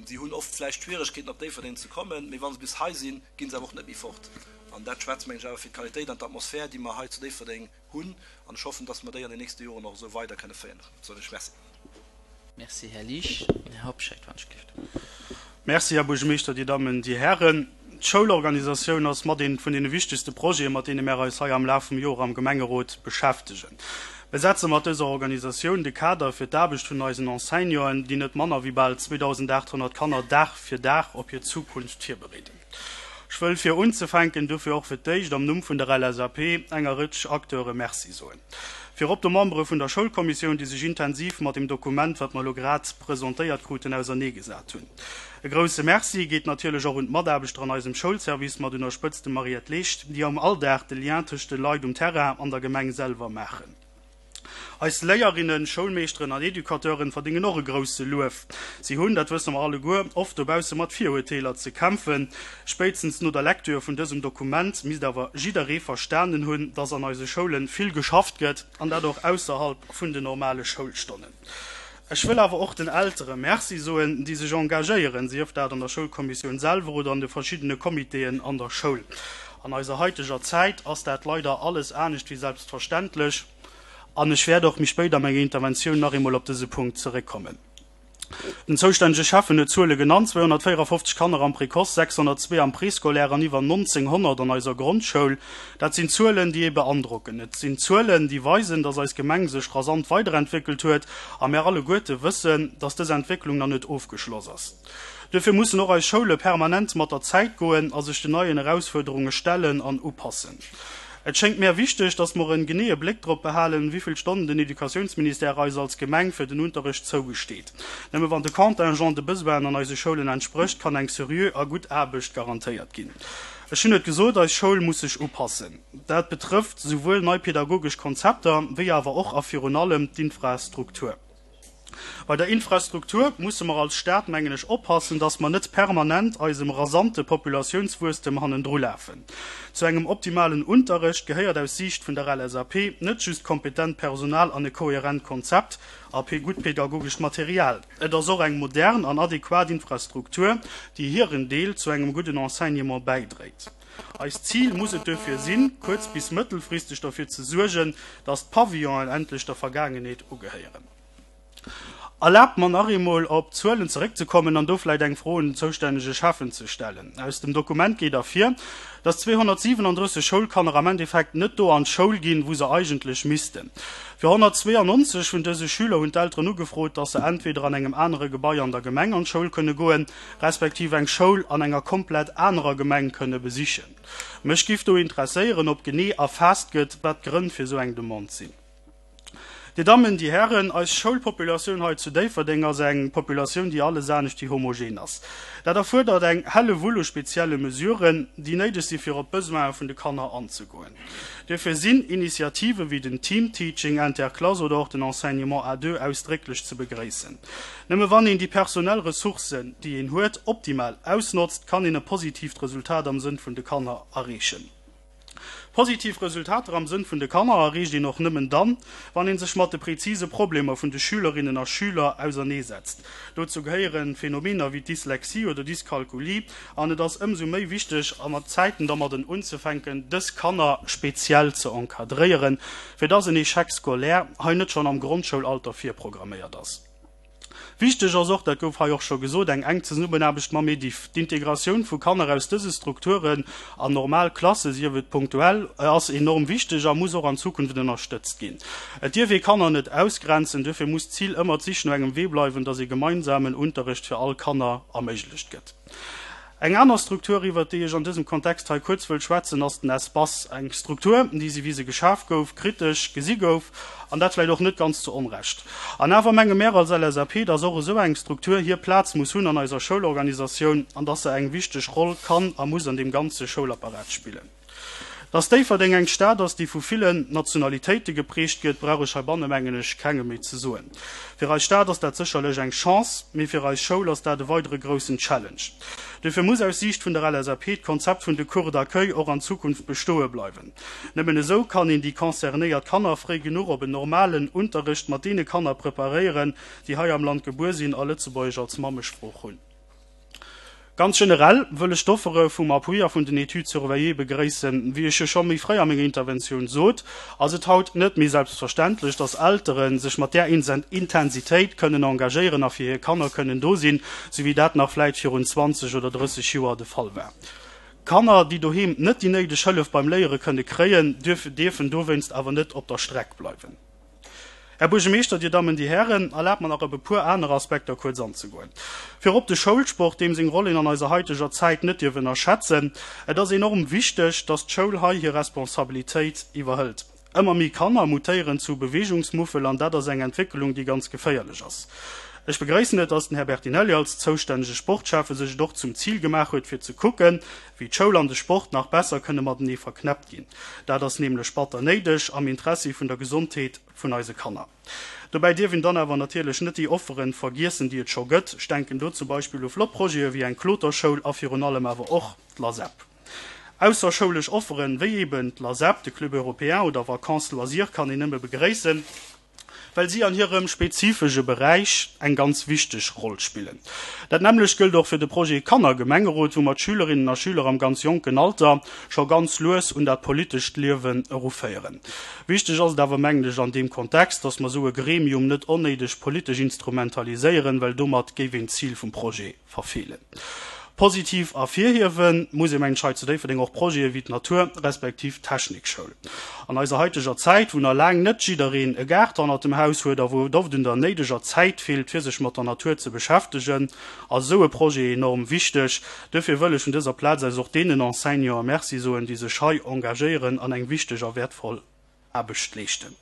si hunn oft vläicht Schwieregkeeten, op Déifferdeng ze kommen, mee wa se bis hei sinn, gi se awer och net méi fort. An dat schwätzt, mengen ech, awer fir d'Qualitéit an d'Atmosphär, déi mer hei zu Déifferdeng hunn an ech hoffen, dass mer déi an den nächste Joren och esou weider kënne féieren. Soen ech Merci. Merci, Här Liesch. Här Hobscheit, wann ech gelift. Merci, Här Buergermeeschter, Dir Dammen, Dir Hären. D'Schoulorganisatioun ass mat ee vun deene wichtegste Projete, mat deene mär eis hei am Laf vum Joer am Gemengerot beschäftegen. Mir setze mat dëser Organisatioun de Kader fir d'Aarbecht vun eisen Enseignanten, déi net manner wéi bal 2.800 Kanner Dag fir Dag op hir Zukunft virbereeden. Ech wëll fir unzefänken dofir och fir d'éischt am Numm vun der LSAP enger Rëtsch Acteure Merci soen. Virop de Membere vun der Schoulkommissioun, déi sech intensiv mat dem Dokument, wat mer elo grad presentéiert kruten, auserneegesat hunn. E grouse Merci geet natierlech och un d'Mataarbechter an eisem Schoulservice, mat un der Spëtzt dem Mariette Leecht, déi am Alldag de Lien tëscht de Leit um Terrain an der Gemeng selwer maachen. Eis Léierinnen, Schoulmeeschteren an Educateuren verdéngen och e grousse Luef. Si hunn, dat wësse mer alleguer, oft dobausse mat Virurteeler ze kämpfen. Spéitstens no der Lektür vun dësem Dokument misst awer jidderee verstanen hunn, dass an eise Schoule vill geschafft gëtt, an dat och ausserhalb vun den normale Schoulstonnen. Ech wëll awer och den Eltere Merci soen, déi sech engagéieren, sief dat an der Schoulkommissioun selwer oder an de verschiddene Comitéen an der Schoul. An eiser haiteger Zäit ass dat leider alles anescht wéi selbstverständlech an ech wäert och méi spéit a menger Interventioun nach eemol op dëse Punkt zeréckkommen. Den zoustännege Schäffen huet d'Zuele genannt, 254 Kanner am Précoce, 602 am Préscolaire an iwwer 1.900 an eiser Grondschoul. Dat sinn Zuelen, déi ee beandrocken. Et sinn Zuelen, déi weisen, dass eis Gemeng sech rasant weiderentwéckelt huet a mär alleguerte wëssen, dass dës Entwécklung nach net ofgeschloss ass. Duerfir mussen och eis Schoule permanent mat der Zäit goen a sech den neien Erausfuerderunge stellen an upassen. Et schéngt mär wichteg, dass mer en geneeë Bléck drop behalen, wéivill Stonnen den Educatiounsministère eis als Gemeng fir den Unterrecht zougesteet. Nëmme wann de Contingent de Besoinen an eise Schoulen entsprécht, kann eng seriö a gutt Aarbecht garantéiert ginn. Ech hunn et gesot, eis Schoul muss sech upassen. Dat betrëfft souwuel nei pedagogesch Konzepter, wéi awer och a virun allem d'Infrastruktur. Bei der Infrastruktur musse mer als Stad, mengen ech, oppassen, dass mer net permanent eisem rasante Populatiounswuesstem hannendrulafen. Zu engem optimalen Unterrecht gehéiert aus Siicht vun der LSAP net just kompetent Personal an e kohärent Konzept a gutt pedagogescht Material. Et ass och eng modern an adequat Infrastruktur, déi hiren Deel zu engem gudden Enseignement bäidréit. Eist Zil muss et duerfir sinn, kuerz bis mëttelfristeg derfir ze suergen, dass d'Pavillonen endlech der Vergaangenheet ugehéieren. Erlaabt mer nach eemol op d'Zuelen zeréckzekommen an do vläicht eng Fro un den zoustännege Schäffen ze stellen. Aus dem Dokument geet ervir, dass 237 Schoulkanner am Endeffekt net do an d'Schoul ginn, wou se eigentlech missten. Fir 192 vun dëse Schüler hunn d'Elteren ugefrot, dass se entweder an engem anere Gebai an der Gemeng an d'Schoul kënne goen, respektiv eng Schoul an enger komplett anerer Gemeng kënne besichen. Mech giff do interesséieren, ob genee erfaasst gëtt, wat d'Grënn fir esou eng Demande sinn. Dir Dammen, Dir Hären, eis Schoulpopulatioun hei zu Déifferdeng ass eng Populatioun, déi alles anescht wéi homogen ass. Dat erfuerdert eng Hellewull u spezielle Mesuren, déi néideg si fir op d'Besoine vun de Kanner anzegoen. Duerfir sinn Initiative wéi den Team-Teaching interclasse oder och den Enseignement à deux ausdrécklech ze begréissen. Nëmme wann een déi personell Ressourcen, déi een huet, optimal ausnotzt, kann een e positiivt Resultat am Sënn vun de Kanner erreechen. Positiv Resultater am Sënn vun de Kanner erreecht een och nëmmen dann, wann een sech mat de präzise Problemer vun de Schülerinnen a Schüler auserneesetzt. Dozou gehéieren Phänomener wéi Dyslexie oder Dyskalkulie an et ass ëmsou méi wichteg, a mat Zäiten dermadden unzefänken, dës Kanner speziell ze encadréieren, fir dass en Échec scolaire hei net schonn am Grondschoulalter virprogramméiert ass. Wichteg ass och, dat gouf hei och scho gesot, eng enk Zesummenaarbecht mam Ediff. D'Integratioun vu Kanner aus dëse Strukturen an normal Klasse, sief et punktuell, ass enorm wichteg a muss och an Zukunft ënnerstëtzt ginn. Et dierf ee Kanner net ausgrenzen, duerfir muss d'Zil ëmmer d'Sich no engem Wee bleiwen, dass ee gemeinsamen Unterrecht fir all Kanner erméiglecht gëtt. Eng aner Struktur, iwwert déi ech an dësem Kontext hei kuerz wëll schwätzen, ass den Espace. Eng Struktur, déi, sou wéi se geschaf gouf, kritesch gesi gouf, an dat vläicht och net ganz zu Onrecht. An awer menge mär als LSAP, dass och esou eng Struktur hir Plaz muss hunn an eiser Schoulorganisatioun an dass se eng wichteg Roll kann a muss an deem ganze Schoulapparat spillen. Dass Déifferdeng eng Stad ass, déi vu villen Nationalitéite geprägt gëtt, brauch ech heibanne mengen ech kengem méi ze soen. Fir eis Stad ass dat sécherlech eng Chance, mee fir eis Schoul ass dat e weidere groussen Challenge. Duerfir muss aus Siicht vun der LSAP d'Konzept vun de Cours d'accueil och an Zukunft bestoe bleiwen. Nëmmen esou kann een déi concernéiert Kanner fréi genuch op en normalen Unterrecht mat deene Kanner preparéieren, déi hei am Land gebuer sinn a Lëtzebuergesch als Mammesprooch hunn. Ganz generell wëll ech d'Offere vum Appui a vun den Études surveillées begréissen. Wéi ech jo scho méi fréi a menger Interventioun sot, ass et haut net méi selbstverständlech, dass Eltere sech mat där Intensitéit kënnen engagéieren a fir hir Kanner kënnen do sinn, sou wéi dat nach vläit virun 20 oder 30 Joer de Fall war. Kanner, déi doheem net déi néideg Hëllef beim Léiere kënne kréien, dierfen dowéinst awer net op der Streck bleiwen. Här Buergermeeschter, Dir Dammen, Dir Hären, erlaabt mer nach op e puer aner Aspekter kuerz anzegoen. Virop de Schoulsport, deem seng Roll een an eiser haiteger Zäit net dierf ënnerschätzen. Et ass enorm wichteg, dass d'Schoul hei hir Responsabilitéit iwwerhëlt. Ëmmer méi Kanner mutéieren zu Beweegungsmuffel an dat ass eng Entwéckelung, déi ganz geféierlech ass. Ech begréissen et, dass den Här Bertinelli als zoustännege Sportschäffe sech et och zum Zil gemaach huet, fir ze kucken, wéi d'Schoul an de Sport nach besser kënne matenee verknäppt ginn. Dat ass nämlech batter néideg am Interessi vun der Gesondheet vun eise Kanner. Dobäi dierf een dann awer natierlech net déi Offeren vergiessen, déi et scho gëtt. Ech denken do zum Beispill u flott Projete wéi eng Kloterschoul a virun allem awer och d'LASEP. Ausserschoulesch Offeren, wéi eeben d'LASEP, de Club Européen oder Vacances Loisirs kann een nëmme begréissen. well si an hirem spezifesche Beräich eng ganz wichteg Roll spillen. Dat nämmlecht gëllt och fir de Projet Kannergemengerot, wou mer d'Schülerinnen a Schüler am ganz jonken Alter scho ganz lues un dat politescht Liewen eruféieren. Wichteg ass et awer, mengen ech, an deem Kontext, dass mer esou e Gremium net onnéideg politesch instrumentaliséieren, well domat géif een d'Zil vum Projet verfeelen. Positiv ervirhiewe muss ee mengen ech hei zu Déifferdeng och Projete wéi d'Natur respektiv d'Technikschoul. An eiser haiteger Zäit, wou nach laang net jiddereen e Gaart hannert dem Haus huet a wou et oft un der néideger Zäit feelt fir sech mat der Natur ze beschäftegen, ass esou e Projet enorm wichteg. Duerfir wëll ech vun dëser Plaz aus och deenen Enseignanten Merci soen, déi sech hei engagéieren an eng wichteg a wäertvoll Aarbecht leeschten.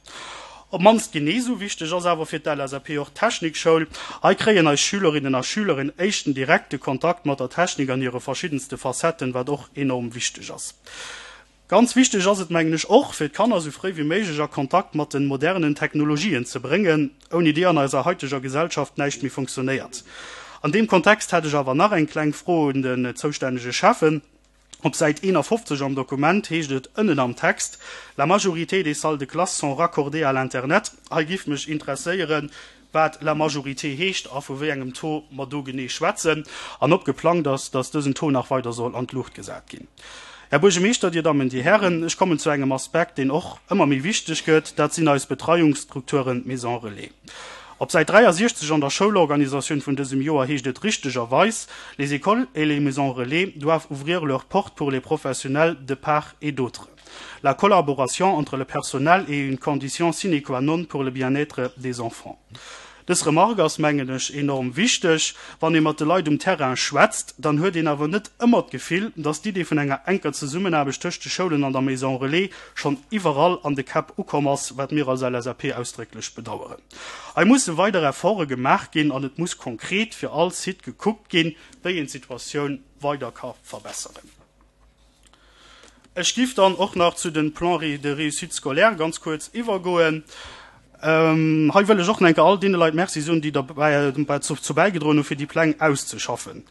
Op d'mannst genee esou wichteg ass awer fir d'LSAP och d'Technikschoul. Hei kréien eis Schülerinnen a Schüler en éischten direkte Kontakt mat der Technik an hire verschiddenste Facetten, wat och enorm wichteg ass. Ganz wichteg ass et, mengen ech, och fir d'Kanner esou fréi wéi méiglech a Kontakt mat den modernen Technologien ze bréngen, ouni déi an eiser haiteger Gesellschaft näischt méi funktionéiert. An deem Kontext hätt ech awer nach eng kleng Fro un den zoustännege Schäffen. Op Säit 51 am Dokument heescht et ënnen am Text, La majorité des salles de classe sont raccordées à l'internet. Hei giff mech interesséieren, wat la majorité heescht a vu wéi engem Taux mer do genee schwätzen an ob geplangt ass, dass dësen Taux nach weider soll an d'Luucht gesat ginn. Här Buergermeeschter, Dir Dammen, Dir Hären, ech kommen zu engem Aspekt, deen och ëmmer méi wichteg gëtt, dat sinn eis Betreiungsstrukturen, d'Maisons relais. Op Säit 63 an der Schoulorganisatioun vun dësem Joer heescht et richtegerweis, Les écoles et les maisons relais doivent ouvrir leurs portes pour les professionnels de part et d'autre. La collaboration entre le personnel est une condition sine qua non pour le bien-être des enfants. Dës Remarque ass, mengen ech, enorm wichteg. Wann ee mat de Leit um Terrain schwätzt, dann huet een awer net ëmmer d'Gefill, dass d'Idee vun enger enker Zesummenaarbecht tëscht de Schoulen an der Maison Relais schonn iwwerall an de Käpp ukomm ass, wat mir als LSAP ausdrécklech bedaueren. Hei musse weider Efforte gemaach ginn an et muss konkret fir all Site gekuckt ginn, wéi een d'Situatioun weider ka verbesseren. Ech giff dann och nach zu den Plans de réussite scolaire ganz kuerz iwwergoen. Hei wëll ech och nach eng Kéier all deene Leit Merci soen, déi derzou bäigedroen hu fir déi Pläng auszeschaffen.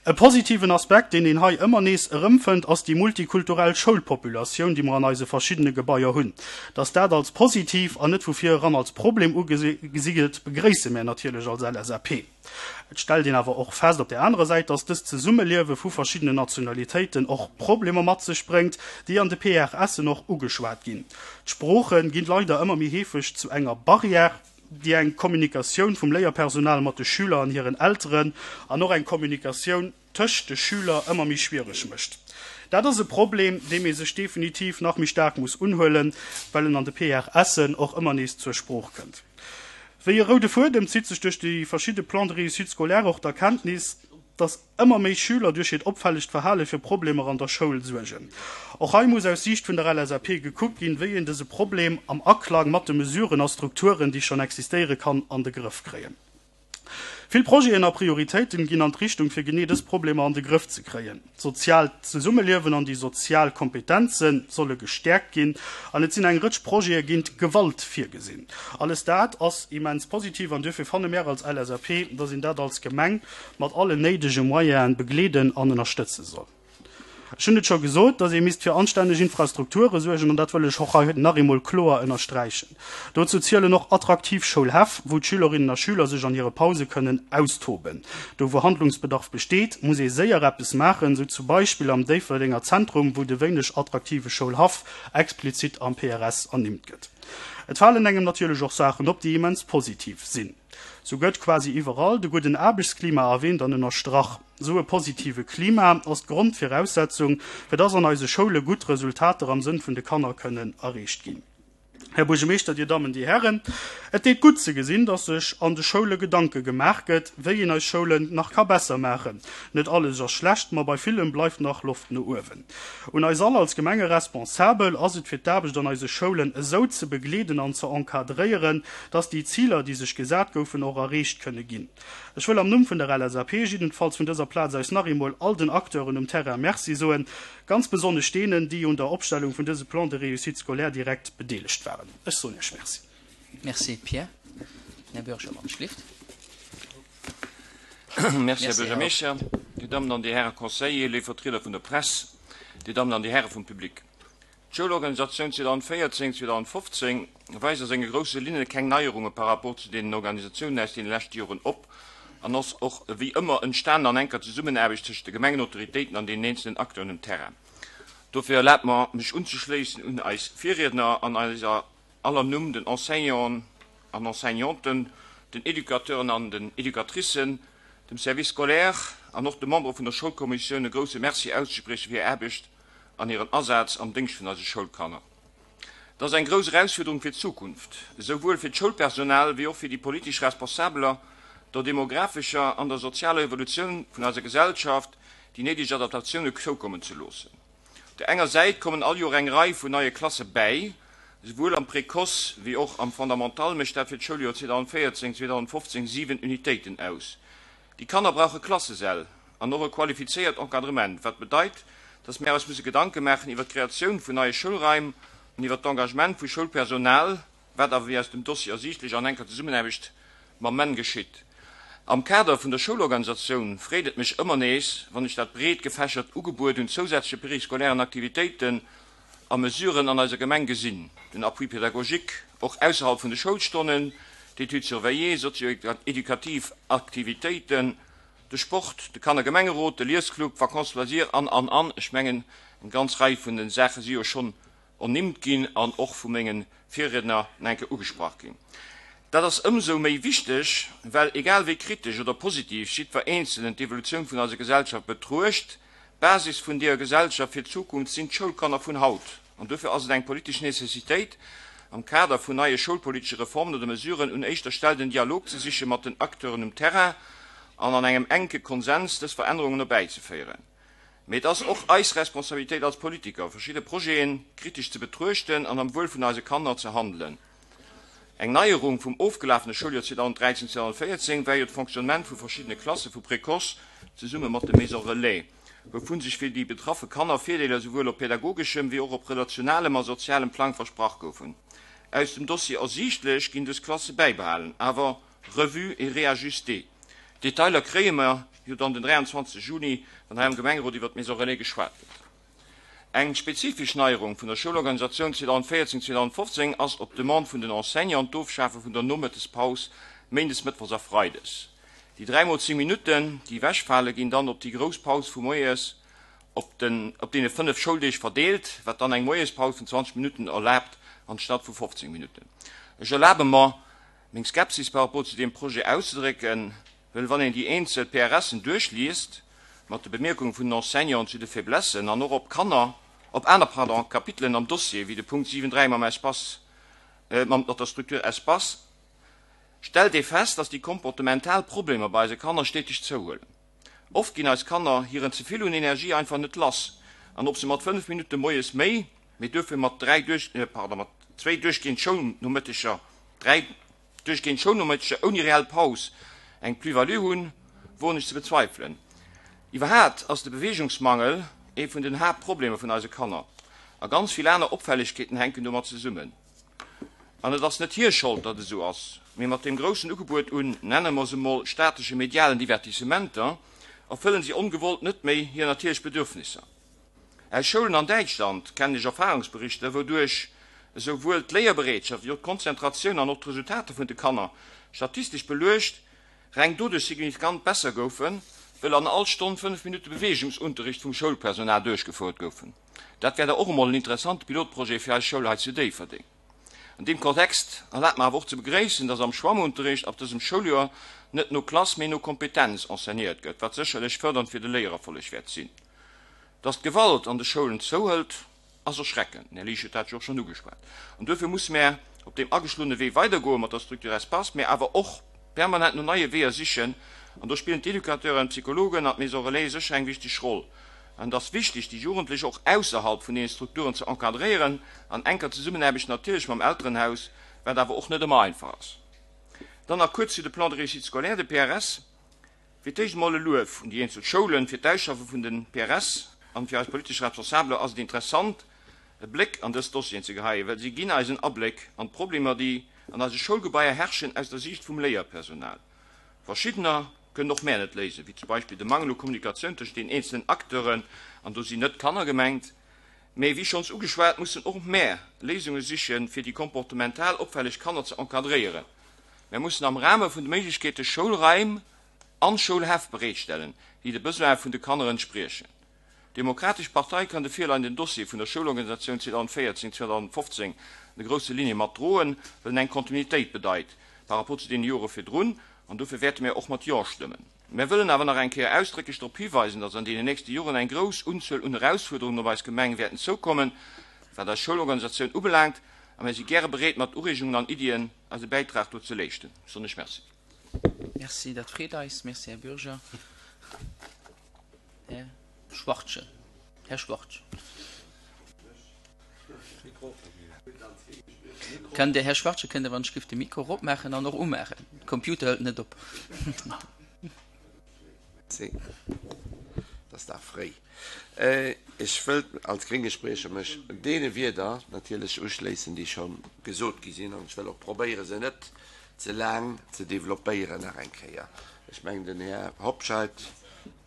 E positiven Aspekt, deen een hei ëmmer nees erëmfënnt, ass déi multikulturell Schoulpopulatioun, déi mer an eise verschiddene Gebaier hunn. Dass dat als positiv an net vu vir eran als Problem ugesi gëtt, begréisse mär natierlech als LSAP. Et stellt een awer och fest op där anerer Säit, dass dëst Zesummeliewe vu verschiddenen Nationalitéiten och Problemer mat sech bréngt, déi an de PRSen och ugeschwat ginn. D'Sprooche ginn leider ëmmer méi heefeg zu enger Barrière, déi eng Kommunikatioun vum Léierpersonal mat de Schüler an hiren Elteren an och eng Kommunikatioun tëscht de Schüler ëmmer méi schwiereg mécht. Dat ass e Problem, deem ee sech definitiv nach méi staark muss unhuelen, well en an de PRSen och ëmmer nees zur Sprooch kënnt. Wéi e roude Fuedem zitt sech duerch déi verschidde Plans de réussite scolaire och d'Erkenntnis, dass ëmmer méi Schüler duerch hiert opfällegt Verhale fir Problemer an der Schoul suergen. Och hei muss aus Siicht vun der LSAP gekuckt ginn, wéi een dëse Problem am Aklang mat de Mesuren a Strukturen, déi schonn existéiere kann, an de Grëff kréien. Vill Projeten a Prioritéiten ginn an d'Richtung, fir genee dës Problemer an de Grëff ze kréien. D'soziaalt Zesummeliewen an déi sozial Kompetenze solle gestäerkt ginn an et sinn eng Rëtsch Projete géint Gewalt virgesinn. Alles dat ass immens positiv an duerfir fanne mär als LSAP, dass een dat als Gemeng mat allen néidege Moyene begleeden an ënnerstëtze soll. Ech hunn et scho gesot, dass ee misst fir anstänneg Infrastrukture suergen, an dat wëll ech och hei nach eemol kloer ënnersträichen. Dozou zielen och attraktiv Schoulhäff, wou d'Schülerinnen a Schüler sech an hire Pause kënnen austoben. Do wou Handlungsbedarf besteet, muss ee séier eppes maachen, sou zum Beispill am Déifferdenger Zentrum, wou de wéineg attraktive Schoulhaff explizit am PRS ernimmt gëtt. Et falen engem natierlech och Saachen op, déi immens positiv sinn. Sou gëtt quasi iwwerall de gudden Aarbechtsklima erwähnt an ënnerstrach. Esou e positive Klima ass d'Grondviraussetzung, fir dass an eise Schoule gutt Resultater am Sënn vun de Kanner kënnen erreecht ginn. Här Buergermeeschter, Dir Dammen, Dir Hären, et deet gutt ze gesinn, dass sech an de Schoule Gedanke gemaach gëtt, wéi een eis Schoulen nach ka besser maachen. Net alles ass schlecht, ma bei villem bleift nach Loft no uewen. Un eis all als Gemengeresponsabel ass et fir d'Aarbecht an eise Schoulen esou ze begleeden an ze encadréieren, dass déi Ziler, déi sech gesat goufen, och erreecht kënne ginn. Ech wëll am Numm vun der LSAP jiddenfalls vun dëser Plaz aus nach eemol all den Acteuren um Terrain Merci soen, ganz besonnesch deenen, déi un der Opstellung vun dëse Plan de réussite scolaire direkt bedeelegt waren. Ech soen Iech Merci. Merci Pierre. Här Buergermann schlift. Merci, Här Buergermeeschter, Dir Dammen an Dir Häre Conseiller, léif Vertrieder vun der Press, Dir Dammen an Dir Häre vum Public. D'Schoulorganisatioun 2014, 2015 weist a senge grousse Linne keng Neierunge par rapport zu deenen Organisatiounen aus deene leschte Joren op an ass och ewéi ëmmer entstanen an enker Zesummenaarbecht tëschent de Gemengenautoritéiten an deenen eenzelen Acteuren um Terrain. Dofir erlaabt mer, mech unzeschléissen un eis Virriedner an eiser aller Numm den Enseignanten an Enseignanten, den Educateuren an den Educatricen, dem Service scolaire an och de Membere vun der Schoulkommissioun e grousse Merci auszesprieche fir hir Aarbecht an hiren Asaz am Déngscht vun eise Schoulkanner. Et ass eng grouss Erausfuerderung fir d'Zukunft, esouwuel fir d'Schoulpersonal wéi och fir déi politesch Responsabeler, der demographescher an der sozialer Evolutioun vun eiser Gesellschaft déi néideg Adaptatioune zoukommen ze loossen. Op der enger Säit kommen all Joer eng Rei vun neie Klasse bäi, esouwuel am Précoce wéi och am Fondamental mécht dat fir d'Schouljoer 2014, 2015 7 Unitéiten aus. Déi Kanner brauche Klassesäll an och e qualifizéiert Encadrement, wat bedeit, dass mär eis musse Gedanke maachen iwwer d'Kreatioun vun neie Schoulraim an iwwer d'Engagement vu Schoulpersonal, wat awer, wéi aus dem Dossier ersiichtlech, an enker Zesummenaarbecht mam men geschitt. Am Kader vun der Schoulorganisatioun freet et mech ëmmer nees, wann ech dat breet gefächert Ugebuet un zousätzleche périscolairen Aktivitéiten a Mesuren an eiser Gemeng gesinn, den Appui pédagogique och ausserhalb vun de Schoulstonnen, d'Études surveillées, sozio-éducativ Aktivitéiten, de Sport, de Kannergemengerot, de Liesclub, d'Vacances loisirs an, an, an. Ech mengen, eng ganz Rei vun de Saache si jo schonn ernimmt ginn an och vu menge Virriedner nach eng Kéier ugesprach ginn. Dat ass ëmsou méi wichteg, well egal wéi kritesch oder positiv jiddwer Eenzelen d'Evolutioun vun eiser Gesellschaft betruecht, d'Basis vun deeër Gesellschaft fir d'Zukunft sinn d'Schoulkanner vun haut. An duerfir ass et eng politesch Nécessitéit, am Kader vun neie schoulpolitesche Reformen oder Mesuren un éischter Stell den Dialog ze siche mat den Acteuren um Terrain an an engem enke Konsens dës Verännerungen erbäizeféieren. Mee et ass och eis Responsabilitéit als Politiker, verschidde Projete kritesch ze betruechten an am Wuel vun eise Kanner ze handelen. Eng Neierung vum ofgelafene Schouljoer 2013, 2014 war jo d'Fonctionnement vu verschiddene Klasse vu Précoce zesumme mat de Maisons Relais, wouvun sech fir déi betraffe Kanner Virdeeler souwuel op pädagogeschem wéi och op relationalem a sozialem Plang versprach goufen. Aus dem Dossier ersiichtlech ginn dës Klasse bäibehalen, awer revues et réajustées. D'Detailer kréie mer jo dann den 23 Juni, wann hei am Gemengerot iwwert d'Maison Relais geschwat gëtt. Eng spezifesch Neierung vun der Schoulorganisatioun 2014, 2015 ass op Demande vun den Enseignanten d'Ofschafe vun der Nomëttespaus méindes, mëttwochs a freides. Déi 3 mol 10 Minutten, déi ewechfale ginn dann op déi grouss Paus vu moies op den op deene 5 Schouldeeg verdeelt, wat dann eng Moiespaus vun 20 Minutten erlaabt anstatt vu 15 Minutten. Ech erlabe mer, meng Skepsis par rapport zu deem Projet auszedrécken, Well wann een déi eenzel PRSen duerchliest, mat de Bemierkunge vun den Enseignanten zu de Faiblessen an och op Kanner, op aner, pardon, Kapitelen am Dossier, wéi de Punkt 7, 3 mam Espace, mat der Structure Espace, stellt ee fest, dass déi komportemental Problemer bei eise Kanner steteg zouhuelen. Oft ginn eis Kanner hiren ze vill un Energie einfach net lass an ob se mat 5 Minutte moies méi, mee duerfir mat dräi duerch, pardon, mat zwéi duerchgehend Schoulnomëtteger, dräi, Duerchgehend Schoulnomëtteger ouni reell Paus eng Plus-value hunn, woen ech ze bezweifelen. Iwwerhaat ass de Beweegungsmangel ee vun den Haaptproblemer vun eise Kanner, a ganz vill aner Opfällegkeeten hänken domat zesummen. An et ass net hir Schold, datt et esou ass, mee mat deem groussen Ugebuet un, nenne mer se mol, statesche medialen Divertissementer, erfëllen si ongewollt net méi hir natierlech Bedürfnisser. Aus Schoulen an Däitschland kennen ech Erfahrungsberichter, wouduerch esou wuel d'Léierbereetschaft wéi och d'Konzentratioun an och d'Resultater vun de Kanner, statistesch beluecht, reng doduerch signifikant besser goufen, wëll an all Stonn 5 Minutte Beweegungsunterricht vum Schoulpersonal duerchgefouert goufen. Dat wär da och emol en interessante Pilotprojet fir eis Schoul hei zu Déifferdeng. An deem Kontext erlaabt mer awer och ze begréissen, dass am Schwammunterricht ab dësem Schouljoer net no Klass, mee no Kompetenz enseignéiert gëtt, wat sécherlech fërdernd fir de Léiererfolleg wäert sinn. Dass d'Gewalt an de Schoulen zouhëlt, ass erschreckend, den Här Liesch huet dat jo och schonn ugeschwat. An duerfir musse mär op deem ageschloene Wee weidergoe mat der Structure Espace, mä awer och permanent no neie Weeër sichen. An do spillen d'Educateuren, d'Psychologen an d'Maison Relais sécher eng wichteg Roll. An et ass wichteg, déi Jugendlech och ausserhalb vun deene Strukturen ze encadréieren, an enker Zesummenaarbecht natierlech mam Elterenhaus, wat awer och net ëmmer einfach ass. Dann nach kuerz zu de Plans de réussite scolaire, de PRS. Fir d'éischt emol e Luef un déi eenzel Schoulen fir d'Ausschaffe vun den PRS an fir eis politesch Responsabeler ass et interessant e Bléck an dës Dossieren ze geheien, well si ginn eis en Abléck an d'Problemer déi an eise Schoulgebaier herrschen aus der Siicht vum Léierpersonal. Verschiddener kënnen och mär net léisen, wéi zum Beispill de Mangel u Kommunikatioun tëschent den eenzelen Acteuren, an do sinn net d'Kanner gemengt, mee wéi schonns ugeschwat mussen och mär Léisunge sichen fir déi komportemental opfälleg Kanner ze encadréieren. Mär mussen am Rahme vun de Méiglechkeete Schoulraim an Schoulhäff bereetstellen, déi de Besoine vun de Kanner entspriechen. D'Demokratesch Partei kann de virleienden Dossier vun der Schoulorganisatioun 2014, 2015 an de grousse Ligne mat droen, well en eng Kontinuitéit bedeit par rapport zu deene Jore virdrun, an dofir wäerte mär och mat Jo stëmmen. Mär wëllen awer nach eng Kéier ausdrécklech drop hiweisen, dass an deenen nächste Joren eng grouss Unzuel un Erausfuerderungen op eis Gemeng wäerten zoukommen, wat eis Schoulorganisatioun ubelaangt, a mär si gäre bereet mat Ureegungen an Iddien eise Bäitrag do ze leeschten. Besonnesch Merci. Merci, dat freet eis. Merci, Här Bürger. Här Schwachtgen. Här Schwachtgen. Kënnt Dir, Här Schwachtgen, kënnt Dir wann ech giff de Mikro eropmaachen an och umaachen? De Computer hëlt net op. 10, Et ass nach fréi. Ech wëllt als grénge Spriecher mech deene Wierder natierlech uschléissen, déi scho gesot gi sinn, an ech wëll och probéiere se net ze laang ze developpéieren nach eng Kéier. Ech mengen, den Här Hobscheit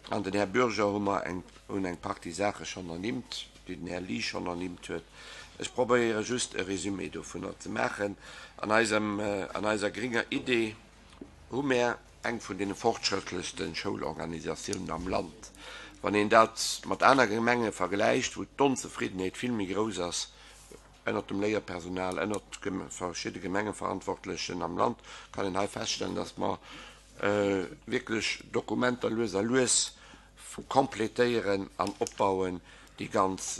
an den Här Bürger hu mer eng, hunn eng Partie Saache schonn ernimmt, déi den Här Liesch schonn ernimmt huet. Ech probéiere just e Résumé dovunner ze maachen. An eisem, an eiser grénger Idee hu mär eng vun deene fortschrëttlechste Schoulorganisatiounen am Land. Wann een dat mat aner Gemenge vergläicht, wou d'Onzefriddenheet vill méi grouss ass. Ënnert dem Léierpersonal, ënnert verschidde Gemengeverantwortlechen am Land kann een hei feststellen, dass mer wierklech Dokumenter lues a lues completéieren an opbauen, déi ganz,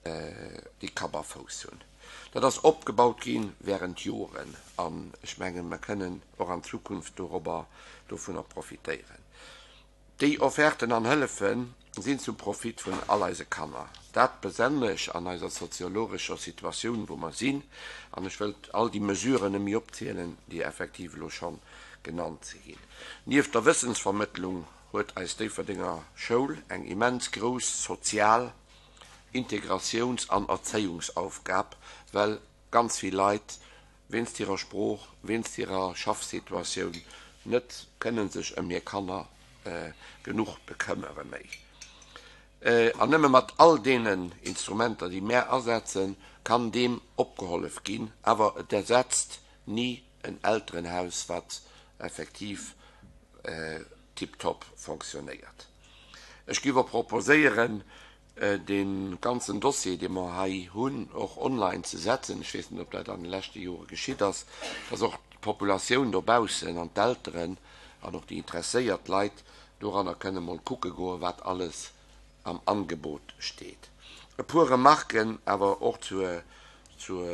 déi Kapp a Fouss hunn. Dat ass opgebaut gi während Joren an ech mengen, mer kënnen och an Zukunft dorobber, dovunner profitéieren. Déi Offerten an Hëllefe sinn zum Profit vun all eise Kanner. Dat besonnesch an eiser soziologescher Situatioun, wou mer sinn. An ech wëllt all déi Mesuren net méi opzielen, déi effektiv elo scho genannt si ginn. Nieft der Wëssensvermëttlung huet eis Déifferdenger Schoul eng immens grouss sozial Integratiouns an Erzéiungsaufgab, well ganz vill Leit wéinst hirer Sprooch, wéinst hirer Schaffsituatioun net kënnen sech ëm hir Kanner genuch bekëmmere méi. An nëmme mat all deenen Instrumenter, déi mär asetzen, kann deem opgehollef ginn. Awer et ersetzt ni en Elterenhaus, wat effektiv tiptop fonctionnéiert. Ech géif och proposéieren, dee ganzen Dossier, dee mer hei hunn, och online ze setzen. Ech weess net, ob dat an de leschte Jore geschitt ass, dass och d'Populatioun dobaussen an d'Elteren an och déi interesséiert Leit doranner kënne mol kucke goen, wat alles am Angebot steet. E puer Remarken awer och zur, zur,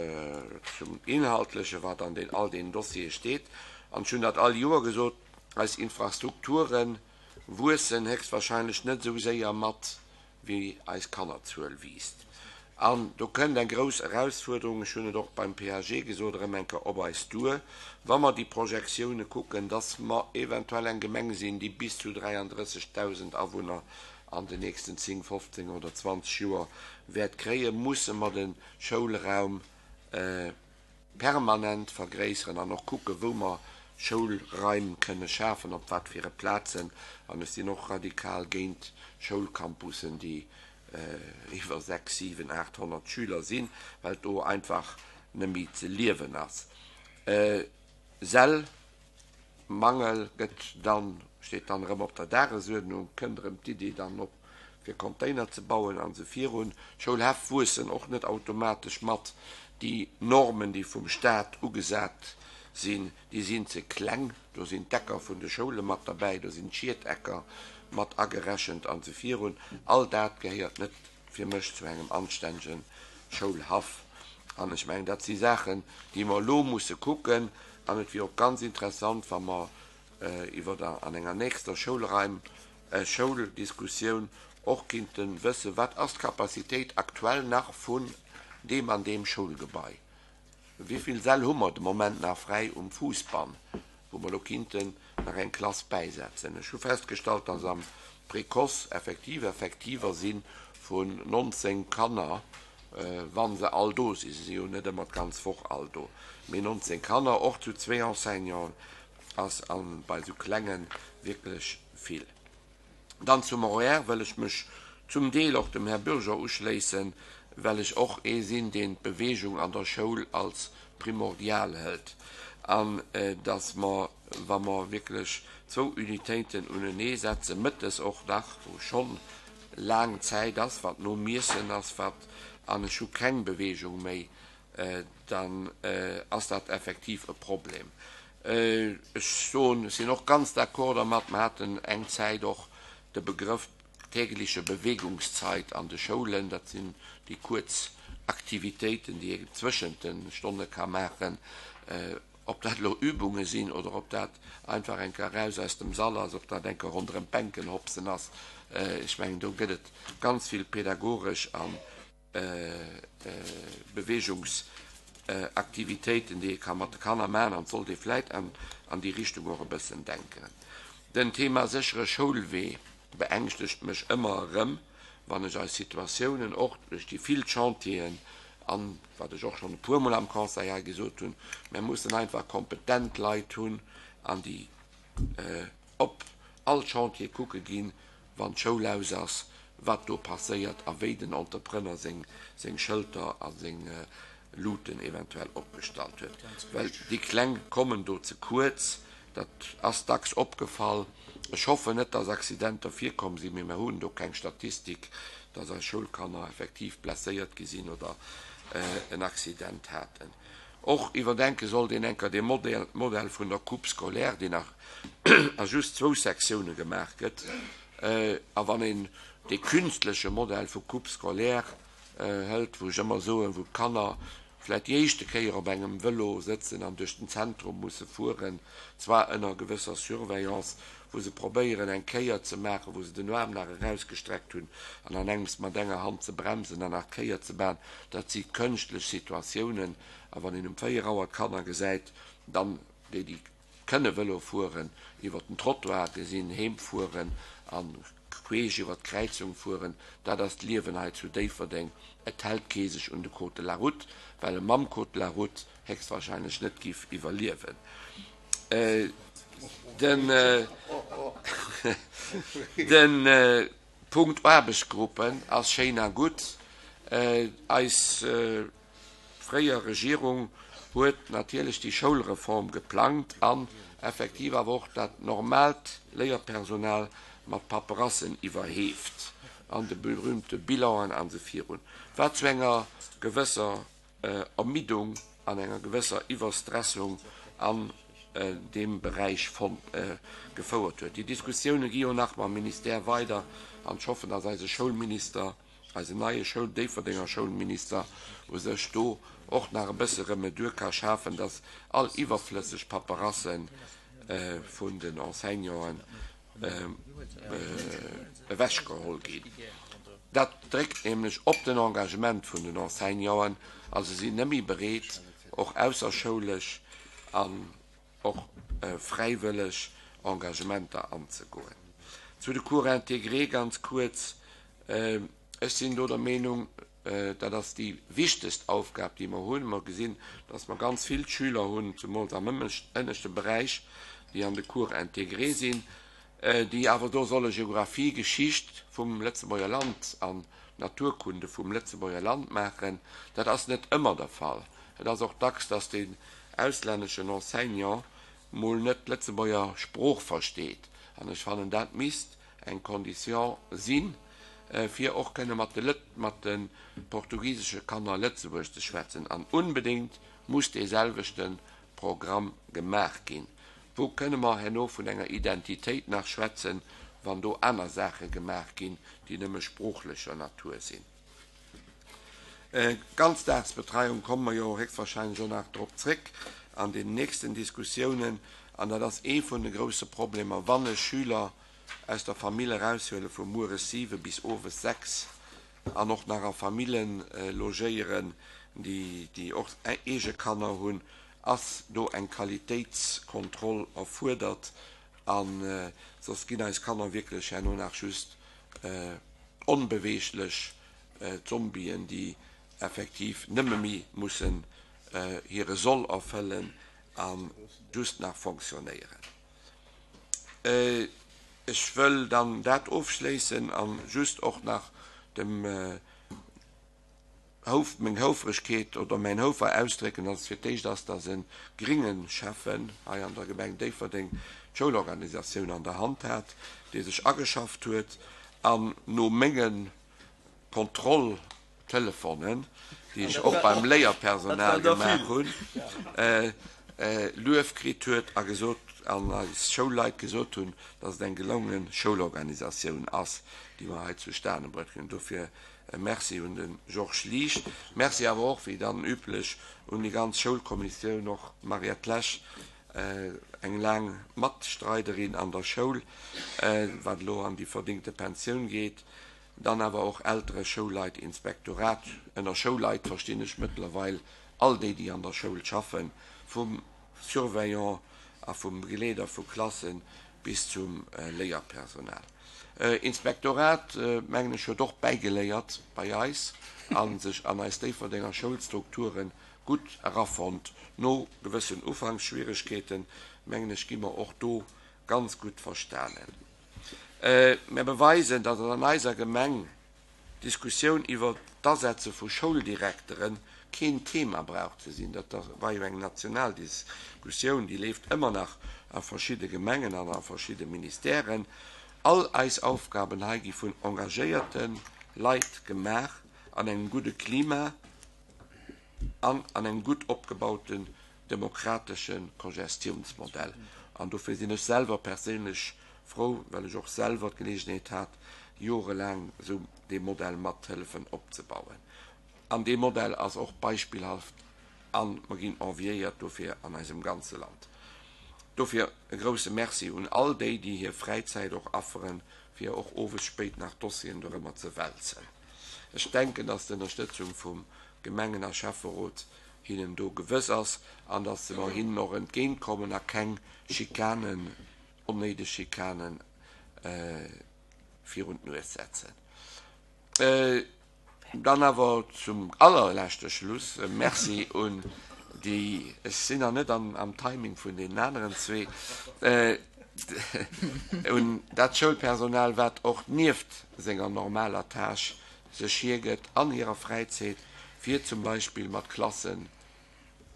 zum Inhaltlechen, wat an den, all deenen Dossiere steet. An ech hunn dat all Joer gesot, Eis Infrastrukturen, wuessen héchstwahrscheinlech net esou séier mat, wéi eis Kannerzuel wiisst. An do kënnt eng grouss Erausfuerderung, ech hunn et och beim PAG gesot, erëm eng Kéier op eis duer, wa mer déi Projektioune kucken, dass mer eventuell eng Gemeng sinn, déi bis zu 33.000 Awunner an den nächsten 10, 15 oder 20 Joer wäert kréien, musse mer de Schoulraum permanent vergréisseren an och kucken, wou mer Schoulraim kënne schafen, op wat fir e Plazen. An ech sinn och radikal géint Schoulcampussen, déi iwwer 6, 7, 800 Schüler sinn, well do einfach net méi ze liewen ass. Säll Mangel gëtt dann, steet dann erëm op der Dagesuerdnung, kënnt erëm d'Iddi dann op fir Container ze bauen an esou virun. D'Schoulhäff wuessen och net automatesch mat. Déi Normen, déi vum Staat ugesat sinn, déi sinn ze kleng. Do sinn d'Ecker vun de Schoule mat derbäi, do sinn d'Schiedecker mat agerechent an esou virun. All dat gehéiert net fir mech zu engem anstännege Schoulhaff. An ech mengen, dat si Saachen, déi mer elo musse kucken. An et wier och ganz interessant, wa mer iwwer an enger nächster Schoulraim, Schouldiskussioun och kinnte wëssen, Wat ass d'Capacitéit aktuell nach vun deem an deem Schoulgebai? Wéi vill Säll hu mer de Moment nach fräi um Fuussbann, wou mer elo kinnten nach eng Klass bäisetzen? Ech hu festgestallt, dass am Précoce effektiv Effektiver si vun 19 Kanner, wa se all do sinn, se si jo net ëmmer d'ganz Woch all do, mee 19 Kanner, och zu zwee Enseignanten, ass bei esou Klenge wierklech vill. Dann zum Horaire wëll ech mech zum Deel och dem Här Bürger uschléissen, well ech och ee sinn, deen d'Bewegung an der Schoul als primordial hëlt an dass mer, wa mer wierklech zwou Unitéiten unenee setzen, mëttes och nach, wou schonn laang Zäit ass, wat nom Iessen ass, wat, an ech hu keng Bewegung méi, dann ass dat effektiv e Problem. Ech soen, ech sinn och ganz d'accord dermat, mer haten eng Zäit och de Begrëff tägliche Bewegungszeit an de Schoulen, dat sinn déi kuerz Aktivitéiten, déi ee zwëschent de Stonne ka maachen, ob dat elo Übunge sinn oder ob dat einfach eng Kéier eraus aus dem Sall ass, ob dat eng Kéier ronderëm d'Bänken hopsen ass, ech mengen, do gëtt et ganz vill pedagogesch a Beweegungsaktivitéiten, déi ee ka mat de Kanner maachen, an et sollt ee vläit an déi Richtung och e bëssen denken. Den Thema séchere Schoulwee beängschtegt mech ëmmer erëm, wann ech eis Situatiounen, och duerch déi vill Chantieren an wat ech och schonn e puermol am Conseil hei gesot hunn, Mir mussen einfach kompetent Leit hunn an déi op all Chantier kucke ginn, wann d'Schoul aus ass, wat do passéiert a wéi den Entrepreneur seng Schëlter a seng Luuten eventuell opgestallt huet. Well déi Kleng kommen do ze kuerz, dat ass dacks opgefall. Ech hoffen net, dass Accidenter virkomm sinn, mee mer hunn do keng Statistik, dass eis Schoulkanner effektiv blesséiert gi sinn oder. en Accident haten. Och iwwerdenke sollt een enker dee Modell vun der Coupe scolaire, deen nach a just zwou Sektioune gemaach gëtt. A wann een dee künstleche Modell vu Coupe scolaire hëlt, wou ech ëmmer soen, wou d'Kanner vläicht déi éischte Kéier op engem Vëlo sëtzen an duerch den Zentrum musse fueren, zwar ënner gewësser Surveillance, wou se probéieren eng Kéier ze maachen, wou se den Aarm nach erausgestreckt hunn an an engems mat enger Hand ze bremsen an nach d'Kéier ze maachen, dat si kënschtlech Situatiounen. A wann een um 4 Auer d'Kanner gesäit, dann déi, déi kënne Vëlo fueren, iwwer den Trottoir gesinn, heem fueren a queesch iwwer d'Kräizung fueren, dat ass d'Liewen hei zu Déifferdeng. Et hält kee sech un de Code de la route, well e mam Code de la route héchstwahrscheinlech net giff iwwerliewen. Den de Punkt Aarbechtsgruppen ass schéin a gutt. Eis fréier Regierung huet natierlech déi Schoulreform geplangt an effektiv awer och dat normaalt Léierpersonal mat Paperassen iwwerheeft an de berühmte Bilanen an esou virun, wat zu enger gewësser Ermiddung an enger gewësser Iwwerstressung an deem Beräich gefouert huet. Déi Diskussioune gi jo nach mam Ministère weider an ech hoffen, datt eise Schoulminister, eisen neie Schoul, Déifferdenger Schoulminister u sech do och nach e bësse Remedur ka schafen, datt all iwwerflësseg Paperasse vun den Enseignanten ewechgeholl ginn. Dat dréckt nämlech op den Engagement vun den Enseignanten a se sinn net méi bereet, och ausserschoulesch an och fräiwëlleg Engagementer anzegoen. Zu de Cours intégrés ganz kuerz, Ech sinn do der Meenung, dat ass déi wichtegst Aufgab, déi mer hunn. Mer gesinn, dass mer ganz vill Schüler hunn, zemools am ënneschte Beräich, déi an de Cours intégrés sinn, déi awer do solle Geographie, Geschicht vum Lëtzebuerger Land an Naturkunde vum Lëtzebuerger Land maachen. Dat ass net ëmmer der Fall. Et ass och dacks, dass deen auslänneschen Enseignant mol net d'Lëtzebuerger Sprooch versteet. An ech fannen, dat misst eng Condition sinn, fir och kënne mat de mat de portugisesche Kanner Lëtzebuergesch ze schwätzen. An unbedéngt muss dee selwechte Programm gemaach ginn. Wou kënne mer herno vun enger Identitéit nach schwätzen, wann do aner Saache gemaach ginn, déi nëmme sproochlecher Natur sinn? Ganzdagsbetreiung komme mer jo héchstwahrscheinlech och nach drop zréck an den nächsten Diskussiounen. An dat ass ee vun de grouse Problemer, wann e Schüler aus der Famill eraushuele vu mueres 7 bis owes 6 an och nach a Famillen logéieren, déi och eege Kanner hunn, ass do eng Qualitéitskontroll erfuerdert a soss ginn eis Kanner wierklech herno nach just onbeweeglech Zombien, déi effektiv nëmme méi mussen hire Soll erfëllen a just nach fonctionnéieren. Ech wëll dann dat ofschléissen a just och nach dem Houf, meng Houfregkeet oder mäin Houfer ausdrécken, dass et fir d'éischt ass, dass e gringe Schäffen hei an der Gemeng Déifferdeng d'Schoulorganisatioun an der Hand hat, dee sech ageschafft huet an no menge Kontrolltelefonen, déi ech och beim Léierpersonal gemaach hunn, Luef kritt huet a gesot, an eis Schoulleit gesot hunn, dass et eng gelonge Schoulorganisatioun ass, déi mer hei zustane bruecht hunn. Dofir E Merci un de Georges Liesch. Merci awer och, wéi dann üblech, un déi ganz Schoulkommissioun, och d'Mariette Lesch, eng laang Matstreiderin an der Schoul, wat elo an déi verdingte Pensioun geet. Dann awer och Eltere, Schoulleit, Inspektorat. Ënner Schoulleit verstinn ech mëttlerweil all déi, déi an der Schoul schaffen, vum Surveillant a vum Begleeder vu Klassen bis zum Léierpersonal. Inspektorat, mengen ech, huet och bäigeléiert bei eis a sech an eis Déifferdenger Schoulstrukture gutt erafonnt. No gewëssen Ufanksschwieregkeeten, mengen ech, gi mer och do ganz gutt verstanen. Mer beweisen, datt et an eiser Gemeng D'Diskussioun iwwer d'Asetze vu Schouldirektere keen Thema brauch ze sinn. Dat war jo eng national Diskussioun, déi leeft ëmmer nach a verschidde Gemengen an a verschidde Ministèren. All eis Aufgaben hei gi vun engagéierte Leit gemaach an engem gudde Klima. an an engem gutt opgebauten demokratesche Cogestiounsmodell. An dofir sinn ech selwer perséinlech frou, well ech och selwer d'Geleegenheet hat, jorelaang esou dee Modell mathëllefen opzebauen. An dee Modell ass och beispillhaft a mer ginn enviéiert dofir an eisem ganze Land. Dofir e grouse Merci un all déi, déi hir Fräizäit och afferen, fir och owes spéit nach Dossieren dorëmmer ze wälzen. Ech denken, dass d'Ënnerstëtzung vum Gemengen a Schäfferot hinnen do gewëss ass an dass mer hinnen och entgéintkommen a keng Schikanen, onnéideg Schikanen virun d'Nues setzen. Dann awer zum allerleschte Schluss e Merci un déi, ech sinn nach net am Timing vun deenen aneren zwee, un dat Schoulpersonal, wat och nieft senger normaler Tâche sech hiergëtt an hirer Fräizäit, fir zum Beispill mat Klassen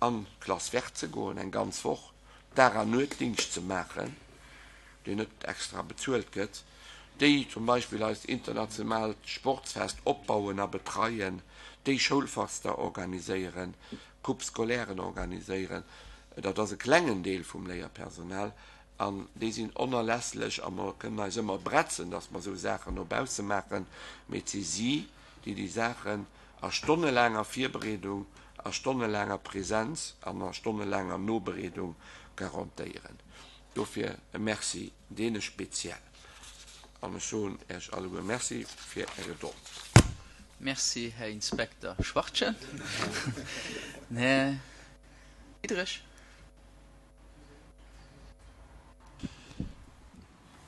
an d'Klass verte ze goen, eng ganz Woch Dag an Nuetdingscht ze maachen, deen net extra bezuelt gëtt, déi zum Beispill eist internationaalt Sportsfest opbauen a betreien, déi Schoulfester organiséieren, Coupe scolairen organiséieren. Dat ass e klengen Deel vum Léierpersonal an déi sinn onerlässlech a mer kënnen eis ëmmer bretzen, dass mer esou Saachen no bausse maachen, mee et si si, déi déi Saachen a stonnelaanger Virbereedung, a stonnelaanger Präsenz an a stonnelaanger Nobereedung garantéieren. Dofir e Merci deene speziell. An ech soen Äech alleguer Merci fir Är Gedold. Merci, Här Inspekter Schwachtgen. Den Här Diderich.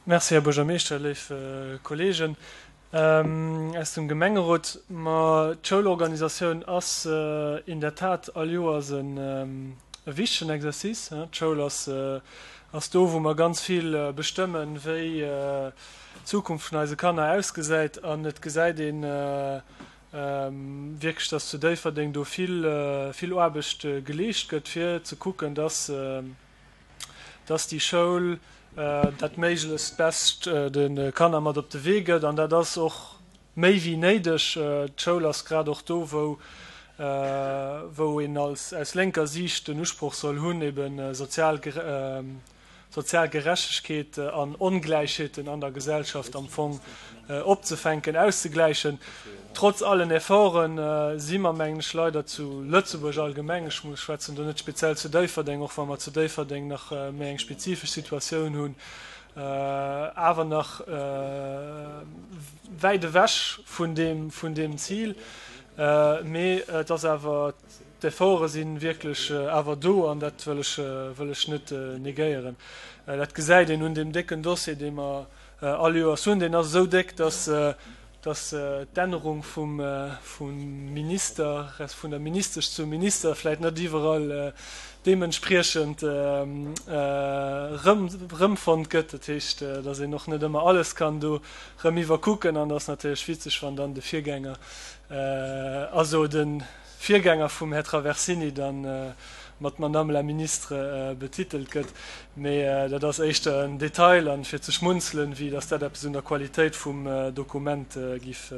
Merci, Här Buergermeeschter, léif Kolleegen aus dem Gemengerot. Ma d'Schoulorganisatioun ass in der Tat all Joers e wichtegen Exercice. D'Schoul ass ass do, wou mer ganz vill bestëmmen, wéi d'Zukunft vun eise Kanner ausgesäit. An et gesäit ee wierklech, dass zu Déifferdeng do vill, vill Aarbecht geleescht gëtt, fir ze kucken, dass, dass déi Schoul dat méiglechst Bescht de Kanner mat op de Wee gëtt. An dat ass och méi wéi néideg. D'Schoul ass grad och do, wou wou een als aus lénker Siicht den Usproch soll hunn, eben sozial sozial Gerechtegkeet an Ongläichheeten an der Gesellschaft am Fong opzefänken, auszegläichen. Trotz allen Efforte si mer, mengen ech, leider zu Lëtzebuerg allgemeng, ech schwätzen do net speziell zu Déifferdeng, och wa mer zu Déifferdeng nach méi eng spezifesch Situatioun hunn, awer nach wäit ewech vun deem Zil. Mee et ass awer, d'Efforte si wierklech awer do an dat wëll ech, wëll ech net negéieren. Dat gesäit een un deem décken Dossier, dee mer all Joers hunn. Deen ass esou déck, dass, dass d'Ännerung vum, vum Minister, resp. Vun der Ministesch zum Minister vläicht net iwwerall deementspriechend erëm, erëmfonnt gëtt. Dat heescht, dass een och net ëmmer alles kann do erëm iwwerkucken an et ass natierlech witzeg, wann dann de Virgänger, also de Virgänger vum Här Traversini dann mat Madame la Ministre betitelt gëtt. Mee dat ass éischter en Detail an fir ze schmunzelen, wéi datt dat eppes un der Qualitéit vum Dokument giff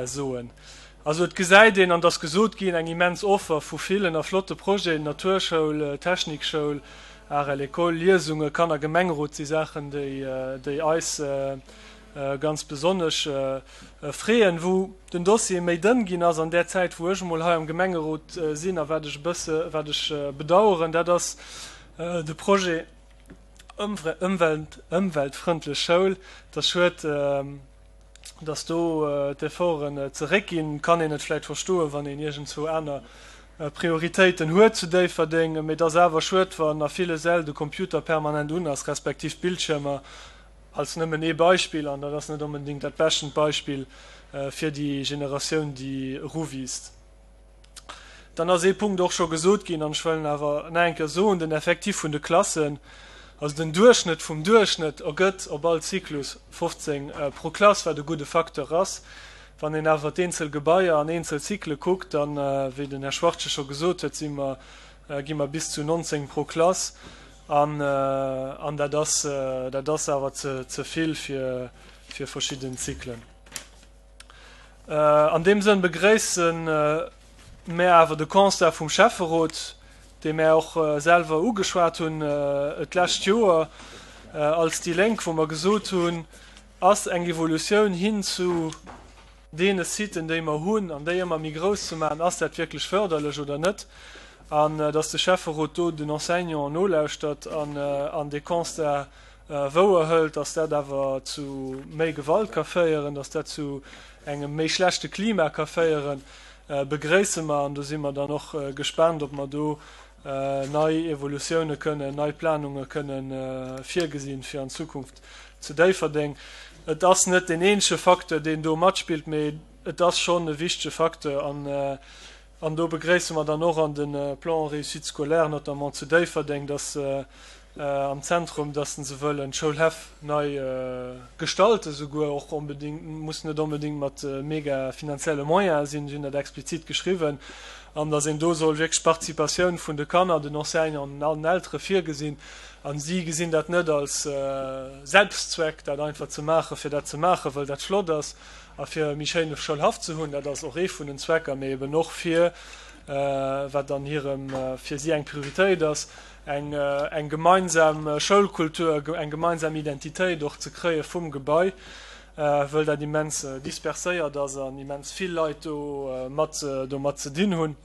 soen. Also et gesäit een, an et ass gesot ginn, eng immens Offer vu villen a flotte Projeten, Naturschoul, Technikschoul, Art à l'école, Liesunge, Kannergemengerot si Saachen, déi eis ganz besonnesch freeën. Wou den Dossier méi dënn ginn ass an där Zäit, wou ech emol hei am Gemengerot sinn a wat ech e bësse, wat ech bedauern, dat ass de Projet Ëmweltfrëndlech Schoul. Et ass schued, dass do d'Efforten zeréckginn. Kann een et vläicht verstoen, wann een iergendzwou aner Prioritéiten huet zu Déifferdeng, mee et ass awer schued, wann a ville Säll de Computer permanent un ass, respektiv d'Bildschiermer, als nëmmen ee Beispill, an dat ass net onbedéngt dat beschtent Beispill fir déi Generatioun, déi eruwiisst. Dann ass ee Punkt och scho gesot ginn, an ech wëll en awer nach eng Kéier soen, Den Effectif vun de Klassen, also den Duerchschnëtt vum Duerchschnëtt ergëtt op all Zyklus 15 pro Klass, wat e gudde Facteur ass. Wann een awer d'eenzel Gebaier an eenzel Zykle kuckt, dann, wéi den Här Schwachtgen scho gesot huet, si mer, gi mer bis zu 19 pro Klass. An, an dat ass, dat ass awer ze, ze vill fir, fir verschidden Zyklen. An deem Sënn begréissen. Mä awer de Constat vum Schäfferot, dee mär och selwer ugeschwat hunn d'lescht Joer als déi Lénk, wou mer gesot hunn, ass eng Evolutioun hin zu deene Siten, déi mer hunn, an déi ëmmer méi grouss ze maachen, ass dat wierklech förderlech oder net? An datt de Schäfferot do den Enseignanten nolauschtert an dee Constat wouer hëlt, datt dat awer zu méi Gewalt ka féieren, datt dat zu engem méi schlechte Klima ka féieren, begréisse mer. An do si mer dann och gespaant, ob mer do nei Evolutioune kënnen, nei Planunge kënnen virgesinn, fir an Zukunft zu Déifferdeng. Et ass net deen eenzege Facteur, deen do matspillt, mee et ass schonn e wichtege Facteur. An do begréisse mer dann och an de Plan Réussite scolaire, notamment zu Déifferdeng, dass am Zentrum, dass se wëllen d'Schoulhäff nei gestalten, souguer och onbedéngt, muss net onbedéngt mat mega finanzielle Moyene sinn, si hunn dat explizit geschriwwen, an dass een do soll wierklech d'Participatioun vun de Kanner, den Enseignanten an den Eltere virgesinn. A si gesinn dat net als Selbstzweck, dat einfach ze maachen, fir dat ze maachen, wëll dat flott ass a fir e méi schéine Schoulhaff ze hunn, dat ass och ee vun den Zwecker, mee eben och fir, wat an hirem, fir si eng Prioritéit ass, eng eng gemeinsam Schoulkultur, eng gemeinsam Identitéit och ze kréie vum Gebai, wëll dat immens disperséiert ass an immens vill Leit do mat domat ze dinn hunn.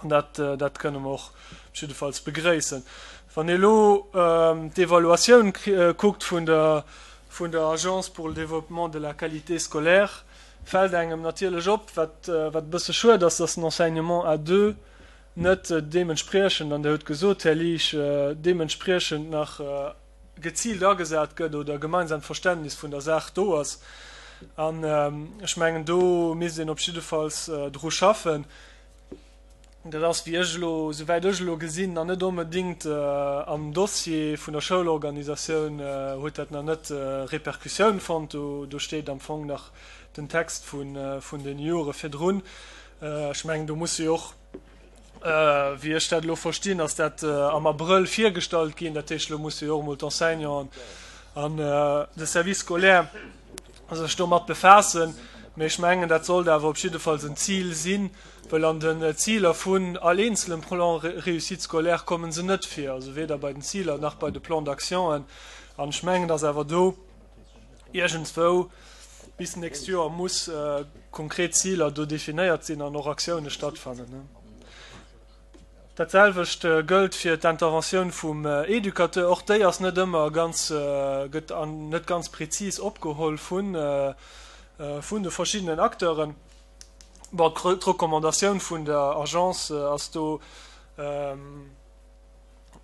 An dat dat kënne mer och jiddefalls begréissen. Wann ee elo d'Evaluatioun kuckt vun der vun der Agence pour le développement de la qualité scolaire, fält engem natierlech op, wat wat e bësse schued ass, dass den Enseignement à deux net deementspriechend, an Der hutt gesot, Här Liesch, deementspriechend nach geziilt agesat gëtt oder e gemeinsamt Verständnis vun der Saach do ass. An ech mengen, do misst een op jiddefalls dru schaffen. Dat ass, wéi ech elo, souwäit ech elo gesinn, nach net onbedéngt am Dossier vun der Schoulorganisatioun huet dat nach net Répercussioun fonnt. Do steet am Fong nach den Text vun den Jore virdrun. Ech mengen, do musse jo och, wéi ech dat elo verstinn, ass dat am Abrëll virgestallt ginn. Dat heescht, elo musse jo och emol d'Enseignanten an de Service scolaire sech domat befaassen. Mee ech mengen, dat sollt awer op jiddefalls en Zil sinn, well an den Ziler vun all eenzelem Plan réussite scolaire komme se net vir, also weder bei den Ziler nach bei de Plans d'actionen. An ech mengen, dass awer do iergendswou bis d'nächst Joer muss konkret Ziler do definéiert sinn an och Aktioune stattfannen. Dat selwecht gëllt fir d'Interventioun vum Educateur. Och déi ass net ëmmer ganz, gëtt net ganz prezis opgeholl vun de verschiddenen Acteuren. Bon, d'Recommandatioun vun der Agence ass do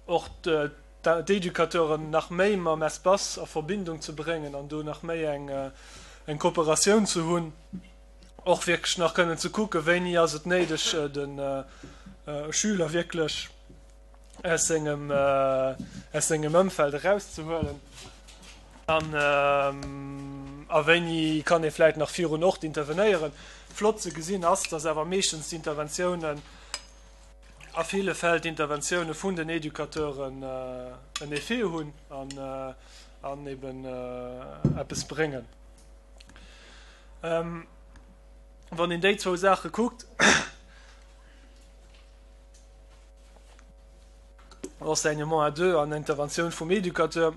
och d'Educateuren nach méi mam Espace a Verbindung ze bréngen an do nach méi eng Kooperatioun ze hunn, och wierklech nach kënnen ze kucken, wéini ass et néideg, de Schüler wierklech aus sengem, aus sengem Ëmfeld erauszehuelen an a wéini kann ee vläit nach virun Ort intervenéieren. Flott ze gesinn ass, dass awer meeschtens d'Interventiounen, a ville Fäll d'Interventioune vun den Educateuren en Effet hunn an eben eppes bréngen. Wann een déi zwou Saache kuckt, Enseignement à deux an Interventioun vum Educateur,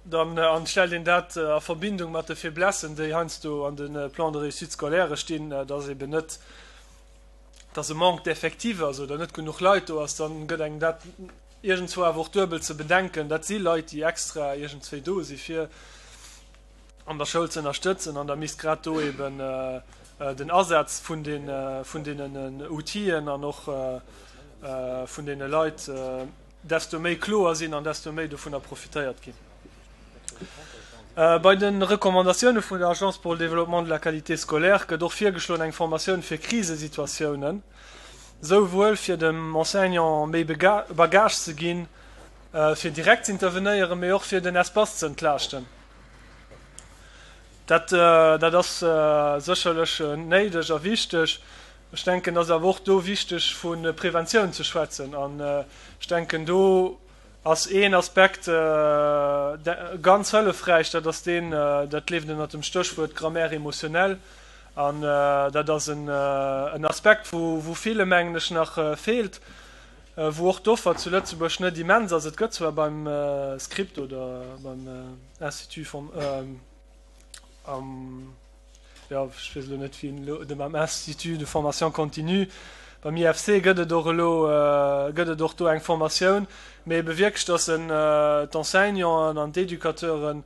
dann an stellt een dat a Verbindung mat de Faiblessen, déi heiansdo an de Plans de réussite scolaire stinn, dass eben net, dass e Manque d'effectif ass oder net genuch Leit do ass, dann gëtt engem dat iergendzwou awer och duebel ze bedenken. Dat si Leit, déi extra iergendzwéi do si fir an der Schoul ze ënnerstëtzen an da misst grad do eben den Asaz vun den, vun deenen Outien an och vun deene Leit desto méi kloer sinn an desto méi dovunner profitéiert ginn. Bei de Recommandatioune vun der Agence pour le développement de la qualité scolaire gëtt och virgeschloen eng Formatioun fir Krisesituatiounen, souwuel fir dem Enseignant méi Bagage ze ginn, fir direkt z'intervenéieren, mee och fir den Espace ze entlaaschten. Dat, dat ass sécherlech néideg a wichteg. Ech denken, et ass awer och do wichteg vu Preventioun ze schwätzen an ech denken do, ass een Aspekt ganz hëllefräich, dat ass deen, dat leeft ënnert dem Stéchwuert Grammaire émotionnelle. An dat ass en Aspekt, wou ville, mengen ech, nach feelt, wou och d'Offer zu Lëtzebuerg net immens ass. Et gëtt zwar beim Script oder beim Institut vum, am, jo, ech weess elo net, wéi en elo, dem am Institut de formation continue, beim IFC gëtt et och elo, gëtt et och do eng Formatioun, mee ebe wierklech, dass en d'Enseignanten an d'Educateuren,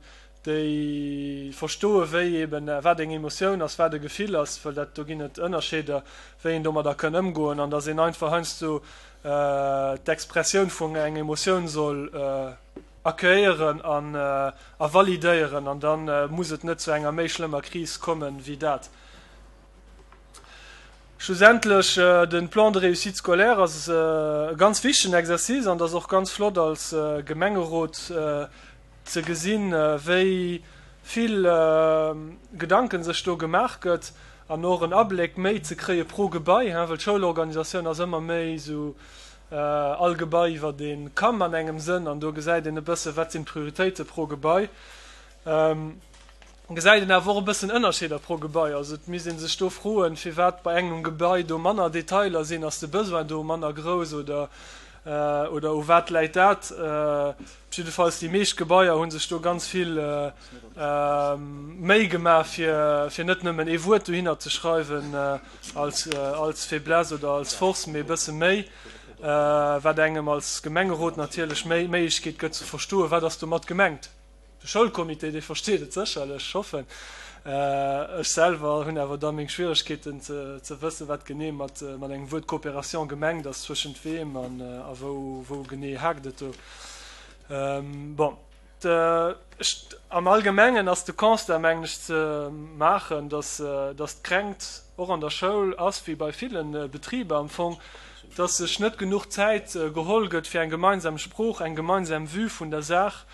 déi verstoe wéi eben wat eng Emotioun ass, wat e Gefill ass, well dat do ginn et Ënnerscheeder, wéi een domadder kënn ëmgoen an dass een einfach heiansdo d'Expressioun vun eng Emotioun soll accueillieren an a validéieren an da muss et net zu enger méi schlëmmer Kris kommen wéi dat. Schlussendlech, de Plan de réussite scolaire ass e ganz wichtegen Exercice an et ass och ganz flott als Gemengerot ze gesinn, wéi vill Gedanken sech do gemaach gëtt an och en Abléck méi ze kréie pro Gebai, well d'Schoulorganisatioun ass ëmmer méi esou all Gebai iwwer ee Kamm an engem Sënn an do gesäit een e bësse wat sinn d'Prioritéite pro Gebai. Gesäit een awer och e bëssen Ënnerscheeder pro Gebai. Also et misst ee sech do froen, firwat bei engem Gebai do manner Detailer sinn. Ass de Besoin do manner grouss oder, oder u wat läit dat? Jiddefalls déi meescht Gebaier hu sech do ganz vill Méi gemaach, fir, fir net nëmmen ee Wuert dohinner ze schreiwen als, als Faiblesse oder als Force, mee e bësse méi, wat engem als Gemengerot natierlech méi d'Méiglechkeet gëtt ze verstoen, wat ass domat gemengt. De Schoulcomité, dee versteet et sécherlech, ech hoffen. Ech selwer hunn awer da meng Schwieregkeeten ze wëssen, wat genee mat engem Wuert Coopération gemengt ass, zwëschent weem an a wou, wou genee haakt et do. Bon, am Allgemengen ass de Constat, mengen ech, ze maachen, datt, datt d'Kränkt och an der Schoul ass, wéi bei ville Betriber am Fong, datt sech net genuch Zäit geholl gëtt fir eng gemeinsam Sprooch, eng gemeinsam Vue vun der Saach,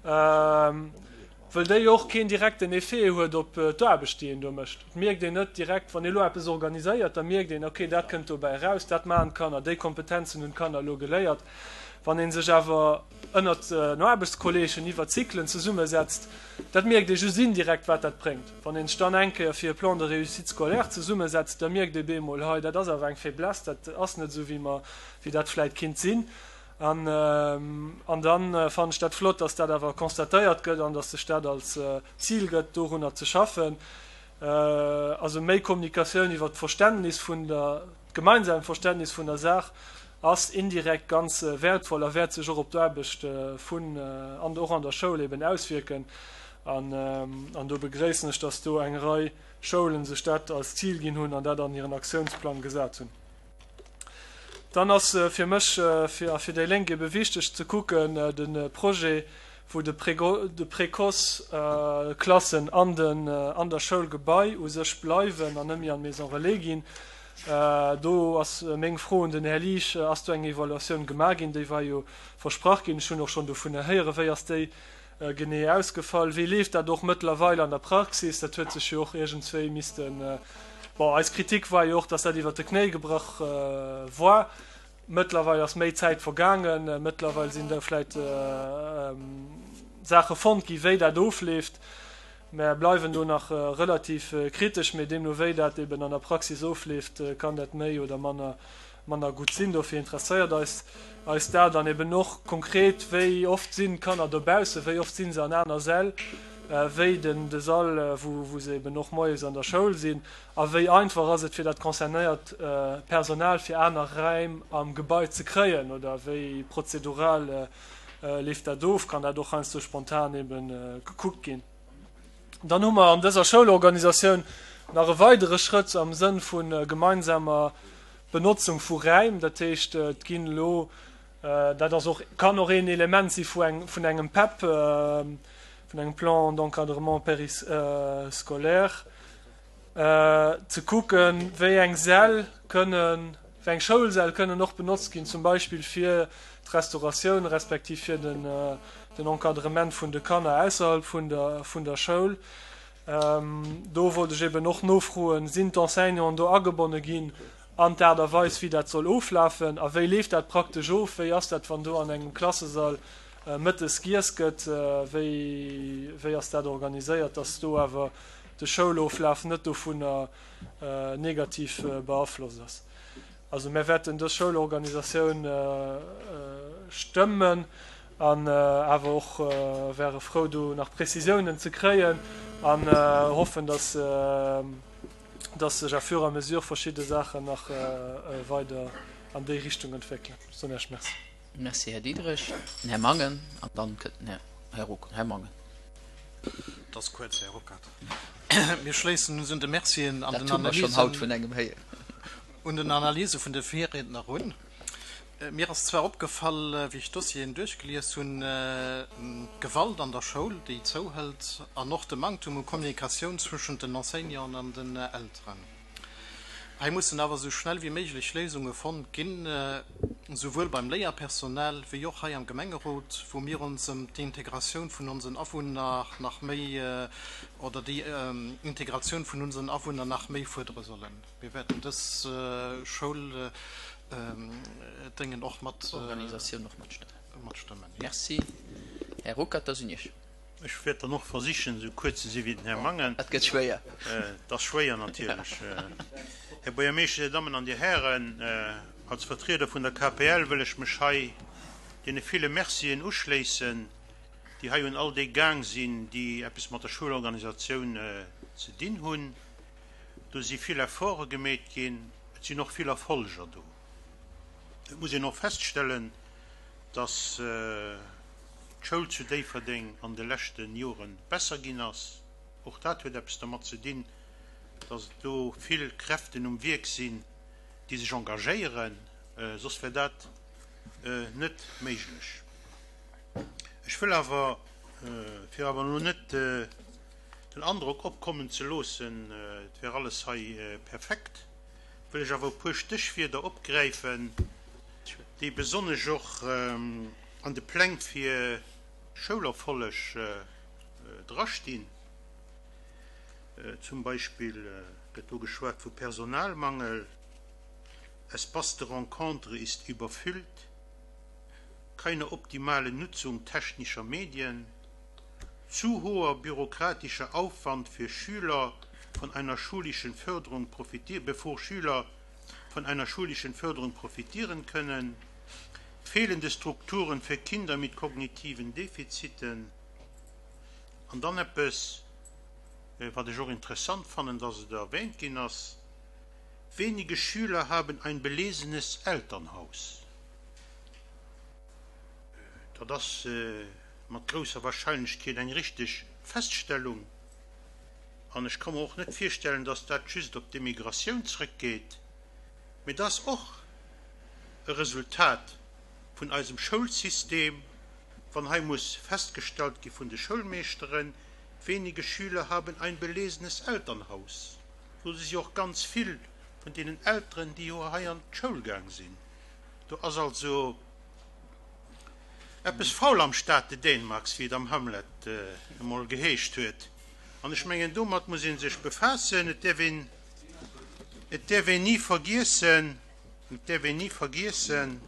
wëll déi och keen direkten Effet huet op d'Aarbecht, déi een do mécht. Et mierkt een net direkt, wann ee elo eppes organiséiert, da mierkt een, okay, dat kënnt dobäi eraus, dat maachen d'Kanner, déi Kompetenzen hunn d'Kanner elo geléiert. Wann ee sech awer ënnert den Aarbechtskolleegen iwwer Zyklen zesummesetzt, dat mierkt ee just indirekt, wat dat bréngt. Wann ee sech dann eng Kéier fir e Plan de réussite scolaire zesummesetzt, da mierkt ee bemol, hei, dat ass awer eng Faiblesse, dat ass net esou, wéi mer, wéi dat vläicht kinnt sinn. An dann fannen ech dat flott, dass dat awer constatéiert gëtt an dass sech dat als Zil gëtt, dorunner ze schaffen. Also méi Kommunikatioun iwwert d'Verständnis vun der, d'gemeinsamt Verständnis vun der Saach ass indirekt ganz wäertvoll a wäert sech och op d'Aarbecht vun an och an der Schoul eben auswierken. An do begréissen ech, dass do eng Rei Schoulen sech dat als Zil ginn hunn an dat an hiren Aktiounsplang gesat hunn. Dann ass fir mech a fir déi Lénk ebe wichteg ze kucken, de Projet, wou de Précoce-Klassen an der Schoulgebai u sech bleiwen an net méi an d'Maison relais ginn. Do ass meng Fro un den Här Liesch, Ass do eng Evaluatioun gemaach ginn? Déi war jo versprach ginn. Ech hunn och schonn dovunner héieren. Wéi ass déi genee ausgefall? Wéi leeft dat och mëttlerweil an der Praxis? Dat huet sech jo och iergendswéi missten, bon, eis Kritik war jo och, dass dat iwwert de Knéi gebrach war. Mëttlerweil ass méi Zäit vergaangen, mëttlerweil sinn da vläicht Saache fonnt gi wéi dat ofleeft. Mär bleiwen do nach relativ kritesch, mee deemno wéi dat eben an der Praxis ofleeft, kann dat méi oder manner manner gutt sinn. Dofir interesséiert eis eis dat an eben och konkret, wéi oft sinn d'Kanner dobaussen, wéi oft si se an aner Säll wéi den de Sall, wou wou se eben och moies an der Schoul sinn a wéi einfach ass et fir dat concernéiert Personal fir aner Räim am Gebai ze kréien oder wéi prozedural leeft dat of, kann dat och heiansdo spontan eben gekuckt ginn. Dann hu mer an dëser Schoulorganisatioun nach e weidere Schrëtt am Sënn vu gemeinsamer Benotzung vu Räim. Dat heescht, et ginn elo, dat ass och, kann och een Element si vu engem PEP, vun engem Plan d'encadrement périscolaire, ze kucken, wéi eng Säll kënnen, wéi eng Schoulsäll kënnen och benotzt ginn, zum Beispill fir d'Restauratioun respektiv fir den Encadrement vun de Kanner ausserhalb vun der, vun der Schoul. Do wollt ech eben och nofroen, Sinn d'Enseignanten do agebonne ginn an d'Aart a Weis, wéi dat soll oflafen? A wéi leeft dat praktesch of? Wéi ass dat, wann do an engem Klassesall mëttes giess gëtt? Wéi, wéi ass dat organiséiert, dass do awer. de Schouloflaf net dovunner negativ beaflosst ass. Also mär wäerten dës Schoulorganisatioun stëmmen an awer och wäre frou do nach Prezisiounen ze kréien an hoffen, dass dass sech à fur et à mesure verschidde Saachen nach weider an déi Richtung entwéckelen. Ech soen Iech Merci. Merci, Här Diderich. Den Här Mangen an dann kënnt den Här Ruckert. Här Mangen. Et ass kuerz, Här Ruckert. Mir schléissen uns un de Mercien an den Analysen. Un den Analyse vun de Virriedner un. Mir ass zwar opgefall, wéi ech d'Dossieren duerchgelies hunn, d'Gewalt an der Schoul, déi zouhëlt, an och de Manktum u Kommunikatioun zwëschent den Enseignanten an den Elteren. Hei mussen awer esou schnell wéi méiglech Léisunge fonnt ginn, souwuel beim Léierpersonal wéi och hei am Gemengerot, wou mir ons ëm d'Integratioun vun onsen Awunner nach méi oder déi Integratioun vun unseren Awunner nach méi fuerdere sollen. Mir wäerten dës Schouldéngen och mat Organisatioun och matstëmmen. Merci, Här Ruckert. Da sinn Iech. Ech wäert dann och versichen, esou kuerz ze si wéi den Här Mangen. Dat gëtt schwéier. Dat ass schwéier natierlech. Här Buergermeeschter, Dir Dammen an Dir Hären, als Vertrieder vun der KPL wëll ech mech hei deene ville Mercien uschléissen, déi hei un all déi gaang sinn, déi eppes mat der Schoulorganisatioun ze dinn hunn. Do si vill Efforte gemeet ginn, et sinn och vill Erfolger do. Et muss een och feststellen, dass d'Schoul zu Déifferdeng an de leschte Jore besser ginn ass. Och dat huet eppes dermat ze dinn, dass et do vill Kräften um Wierk sinn, déi sech engagéieren, soss wär dat net méiglech. Ech wëll awer, fir awer elo net den Androck opkommen ze loossen, et wär alles hei perfekt, wëll ech awer e puer Stéchwierder opgräifen, déi besonnesch och an de Pläng fir Schoulerfolleg drastinn. Zum Beispill gëtt do geschwat vu Personalmangel, Espace de rencontre ist überfüllt, keine optimale Nutzung technischer Medien, Zu hoher bürokratischer Aufwand für Schüler von einer schulischen Förderung profitieren, bevor Schüler von einer schulischen Förderung profitieren können, fehlende Strukturen für Kinder mit kognitiven Defiziten an dann eppes, wat ech och interessant fannen, dass et erwähnt ginn ass, Wenige Schüler haben ein belesenes Elternhaus. Dat ass mat grousser Wahrscheinlechkeet eng richteg Feststellung. An ech ka mer och net virstellen, datt dat just op d'Immigratioun zrëckgeet, mee dat ass och e Resultat vun eisem Schoulsystem, wann hei muss festgestallt gi vun de Schoulmeeschteren, Wenige Schüler haben ein belesenes Elternhaus. Do si jo och ganz vill vun deenen Elteren, déi jo hei an d'Schoul gaang sinn. Do ass also eppes faul am Staate Dänemarks, wéi et am Hamlet emol geheescht huet. An ech mengen, domat muss ee sech befaassen. Et däerf een, et däerf een ni vergiessen, et däerf een ni vergiessen,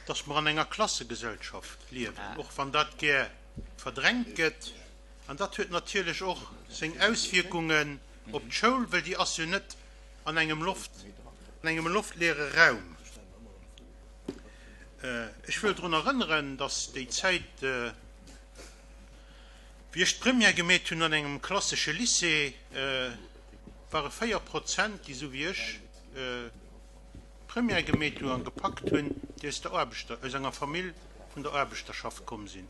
dass mer an enger Klassegesellschaft liewen, och wann dat gär verdrängt gëtt. An dat huet natierlech och seng Auswierkungen op d'Schoul, well déi ass jo net an engem Loft, an engem loftleere Raum. Ech wëll drun erënneren, dass déi Zäit, wéi ech d'Première gemeet hunn an engem klassesche Lycée, ware 4 Prozent, déi esou wéi ech d'Première gemeet hunn a gepackt hunn, déi aus der Aarbechter, aus enger Famill vun der Aarbechterschaft komm sinn.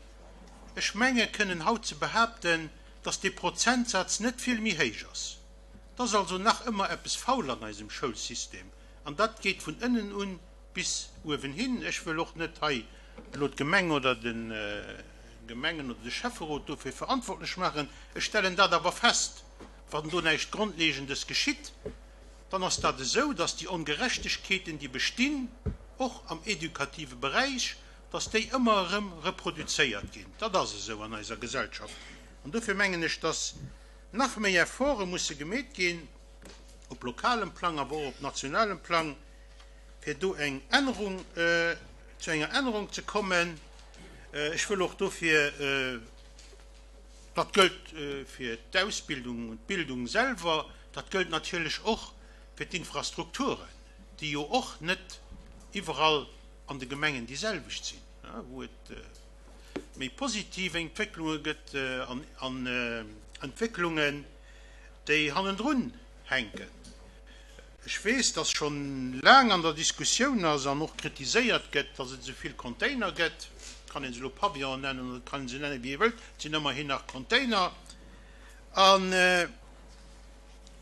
Ech menge kënnen haut ze behaapten, dass dee Prozentsaz net vill méi héich ass. Et ass also nach ëmmer eppes faul an eisem Schoulsystem, an dat geet vun ënnen un bis uewen hin. Ech wëll och net hei elo d'Gemeng oder de Gemengen oder de Schäfferot dofir verantwortlech maachen. Ech stellen dat awer fest, wann do näischt Grondlegendes geschitt, dann ass dat esou, dass déi Ongerechtegkeeten, déi bestinn, och am edukative Beräich, dass déi ëmmer erëm reproduzéiert ginn. Dat ass esou an eiser Gesellschaft. An dofir mengen ech, dass nach méi Efforte musse gemeet ginn, op lokalem Plang, awer och op nationalem Plang, fir do eng Ännerung, zu enger Ännerung ze kommen. Ech wëll och dofir. Dat gëllt fir d'Ausbildung und d'Bildung selwer, dat gëllt natierlech och fir d'Infrastrukturen, déi jo och net iwwerall an de Gemengen déi selwecht sinn, wou et méi positiv Entwécklunge gëtt an Entwécklungen, déi hannendrun hänken. Ech weess, dass scho laang an der Diskussioun ass an och kritiséiert gëtt, dass et esou vill Container gëtt. Et kann ee se elo Pavillon nennen oder et kann ee se nennen, wéi ee wëllt, et sinn ëmmerhin nach Container. An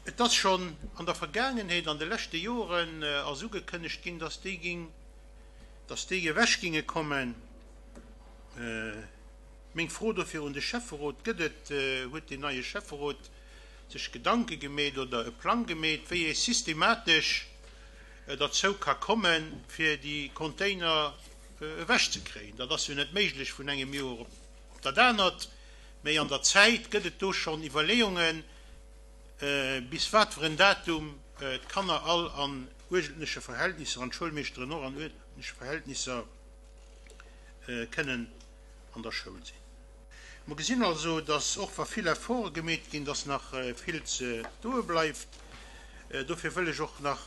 et ass schonn an der Vergaangenheet, an de leschte Joren ass ugekënnegt ginn, dass déi ging, dass déi ewech ginge kommen. Meng Fro dofir un de Schäfferot, Gëtt et, huet deen neie Schäfferot sech Gedanke gemeet oder e Plang gemeet, wéi ee systematesch derzou ka kommen, fir déi Container ewechzekréien? Dat ass jo net méiglech vun engem Joer op dat anert, mee an der Zäit gëtt et do schonn Iwwerleeungen, bis wat fir en Datum d'Kanner all an uerdentleche Verhältnisser an d'Schoulmeeschteren och an uerdentleche Verhältnisser kënnen an der Schoul sinn. Mer gesinn also, dass och wa vill Efforte gemeet ginn, dass nach vill ze doe bleift. Dofir wëll ech och nach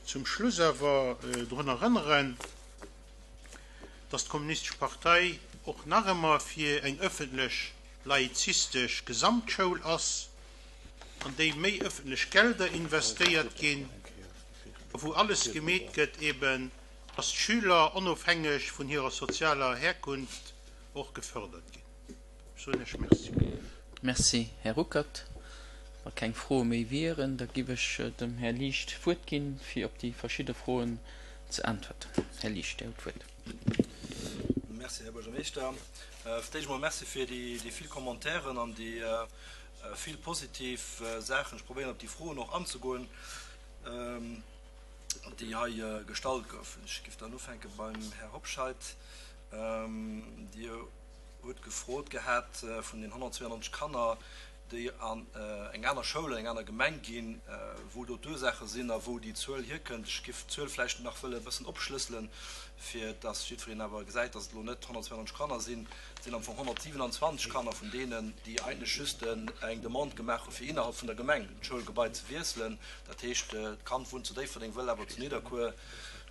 zum Schluss awer drun erënneren, dass d'Kommunistesch Partei och nach ëmmer fir eng öffentlech laizistesch Gesamtschoul ass, an déi méi öffentlech Gelder investéiert ginn a wou alles gemeet gëtt, eben dass d'Schüler onofhängeg vun hirer sozialer Herkunft och gefördert ginn. Ech soen Iech Merci. Merci, Här Ruckert. Wa keng Froe méi wieren, da giff ech dem Här Liecht d'Wuert ginn, fir op déi verschidde Froen ze äntwerten. Här Liecht, Dir hutt d'Wuert. Merci, Här Buergermeeschter. Fir d'éischt emol Merci fir déi vill Commentairen an déi vill positiv Saachen. Ech probéieren, op déi Froen och anzegoen, déi hei gestallt goufen. Ech giff dann ufänke beim Här Hobscheit. Dir hutt gefrot gehat vun den 192 Kanner, déi an eng aner Schoul, an eng aner Gemeng ginn, wou do d'Ursaache sinn a wou déi Zuel hierkënnt. Ech géif d'Zuel vläicht nach wëlle e bëssen opschlësselen, fir dass jiddwereen awer gesäit, dass et elo net 192 Kanner sinn. Et sinn am Fong 127 Kanner vun deenen, déi eigentlech just eng Demande gemaach hu fir innerhalb vun der Gemeng d'Schoulgebai ze wiesselen. Dat heescht, d'Kand wunnt zu Déifferdeng, wëll awer zu Nidderkuer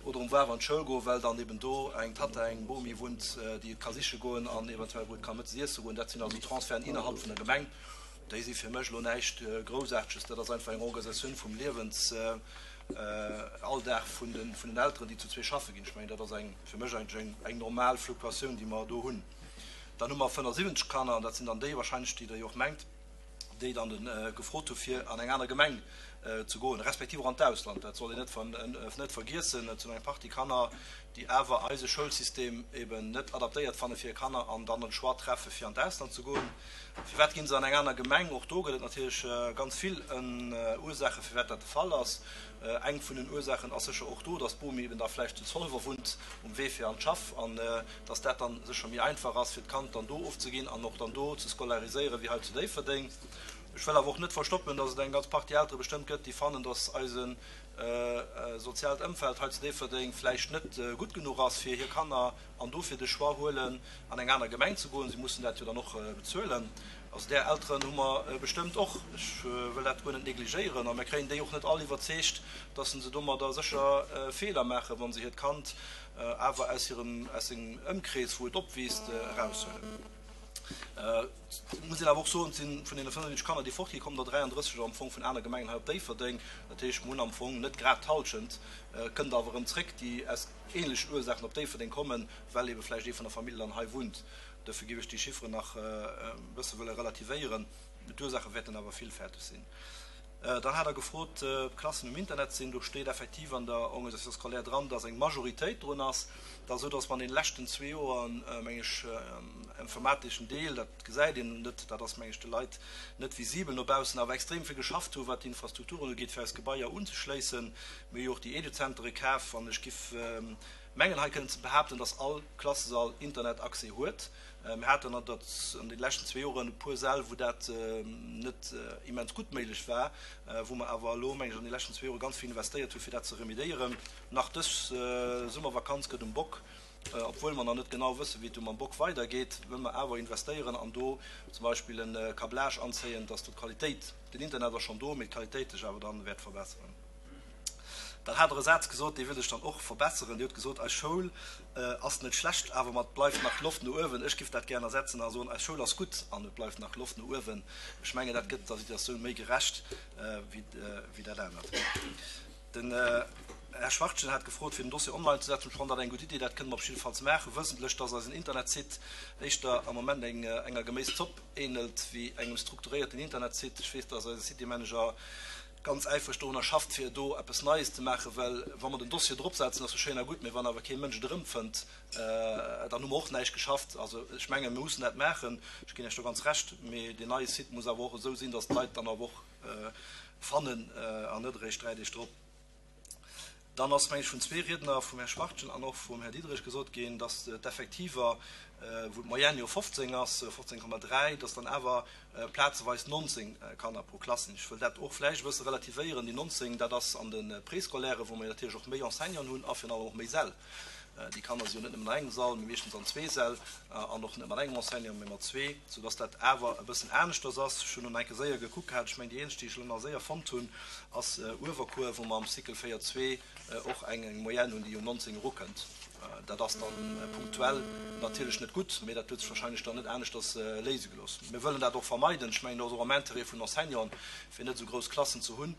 oder um Wawer an d'Schoul goen, well dann eben do eng Tatta, eng Bomi wunnt, déi et ka siche goen an eventuell wou et ka mëttes iesse goen. Dat sinn also Transferten innerhalb vun der Gemeng. Déi si fir mech elo näischt Groussaarteges. Dat ass einfach eng Organisatioun vum Liewensalldag vun den Elteren, déi zu zwee schaffe ginn. Ech mengen, dat ass eng, fir mech eigentlech eng normal Fluktuatioun, déi mer do hunn. Dann hu mer 75 Kanner, an dat sinn dann déi wahrscheinlech, déi Der jo och mengt, déi dann gefrot hu fir an eng aner Gemeng ze goen, respektiv och an d'Ausland. Dat soll een net net vergiessen. Et sinn eng Partie Kanner, déi awer eise Schoulsystem eben net adaptéiert fanne fir hir Kanner an dann den Choix treffe fir an d'Ausland ze goen. Firwat ginn se an eng aner Gemeng? Och do gëtt et natierlech ganz vill Ursaache firwat dat de Fall ass. Eng vun den Ursaachen ass sécher och do, datt d'Bomi eben da vläicht zu Zolwer wunnt um Wee fir an d'Schaff an dass dat dann sécher méi einfach ass fir d'Kand dann do ofzeginn an och dann do ze scolariséieren wéi hei zu Déifferdeng. Ech wëll awer och net verstoppen, dass et eng ganz Partie Eltere bestëmmt gëtt, déi fannen, dass eise soziaalt Ëmfeld hei zu Déifferdeng vläicht net gutt genuch ass fir hir Kanner an dofir de Choix huelen an eng aner Gemeng ze goen. Si mussen dat jo dann och bezuelen. Also där Elteren hu mer bestëmmt och. Ech wëll dat guer net négligéieren a mir kréien déi och net all iwwerzeegt, dass se domadder sécher Feeler maachen, wa se hiert Kand awer aus hirem, aus sengem Ëmkrees, wou et opwiisst, eraushuelen. Et muss een awer och soen, et si vun deene 75 Kanner, déi fortginn, kommen der 33 am Fong vun aner Gemengen hei op Déifferdeng. Dat heescht, mer hunn am Fong net grad d'Hallschent, kënnt awer erëm zréck, déi aus ähnlechen Ursaachen op Déifferdeng kommen, well ebe vläicht ee vun der Famill dann hei wunnt. Dofir géif ech déi Chifferen nach e bësse wëlle relativéieren. D'Ursaache wäerten awer villfälteg sinn. Dann hat Der gefrot, ob d'Klassen um Internet sinn. Do steet effektiv an der Organisation scolaire dran, dass eng Majoritéit drun ass. Et ass esou, dass mer an deene leschten zwee Joer, meng ech, informateschen Deel, dat gesäit een net, dat ass, meng ech, de Leit net visibel no baussen, awer extrem vill geschafft hu wat d'Infrastrukturen ugeet, fir eis Gebaier unzeschléissen. Mir hu jo och déi Eduzentere kaf an ech giff mengen, hei kënnen ze behaapten, dass all Klassesall Internetaccès huet. Mir haten an de leschten zwee Joren e puer Säll, wou dat net immens gutt méiglech war, wou mer awer elo, meng ech, an de leschten zwee Jore ganz vill investéiert hu fir dat ze remediéieren. Nach dës Summervakanz gëtt um Bock. Obwuel mer nach net genau wëssen, wéi et do mam Bock weidergeet, wëlle mer awer investéieren an do zum Beispill e Câblage anzéien, dass do d'Qualitéit, den Internet ass schonn do, mee d'Qualitéit sech awer dann wäert verbesseren. Dann hat Der e Saz gesot, dee wëll ech dann och verbesseren. Dir hutt gesot, Eis Schoul ass net schlecht, awer mat bleift nach Loft no uewen. Ech giff dat gären ersetzen a soen, Eis Schoul ass gutt an et bleift nach Loft no uewen. Ech mengen, dat gëtt der Situatioun méi gerecht wéi dat anert. Den Här Schwachtgen hat gefrot, fir den Dossier online ze setzen. Ech fannen dat eng gutt Idee. Dat kënne mer op jiddefalls maachen, wëssentlech, dass eisen Internetsite éischter am Moment enger Geméiszopp ähnelt wéi engem strukturéierten Internetsite. Ech weess, dass eise Citymanager ganz äifreg dorunner schafft, fir do eppes Neies ze maachen, well wa mer den Dossier dropsetzen, ass jo schéin a gutt, mee wann awer kee Mënsch et erëmfënnt, dann hu mer och näischt geschafft. Also ech mengen, mir mussen dat maachen, ech ginn Iech do ganz Recht, mee deen neie Site muss awer och esou sinn, dass d'Leit dann awer och fannen an net eréischt 3 Deeg drop. Dann ass, meng ech, vun zwee Riedner, vum Här Schwachtgen an och vum Här Diderich gesot ginn, dass d'Effektiver, wou d'Moyenne jo 15 ass, 15,3, dass dann awer plazeweis 19 Kanner pro Klass sinn. Ech wëll dat och vläicht e bësse relativéieren. Déi 19, dat ass an de Préscolairen, wou mer jo natierlech och méi Enseignanten hunn a virun allem och méi Säll. Déi Kanner si jo net nëmmen an engem Sall, mee meeschtens an zwee Säll an och net mat engem Enseignant, mee mat zwee, soudass dat awer e bëssen aneschters ass. Ech hunn elo nach eng Kéier séier gekuckt gehat, ech mengen déi eenzeg, déi ech elo nach séier fonnt hunn, ass Uewerkuer, wou mer am Cycle 4, 2 och eng Moyenne hunn, déi un 19 erukënnt. Dat ass dann punktuell natierlech net gutt, mee dat huet sech wahrscheinlech dann net aneschters léise gelooss. Mir wëllen dat och vermeiden. Ech mengen, dat ass och am Interêt vun Enseignanten, fir net esou grouss Klassen ze hunn.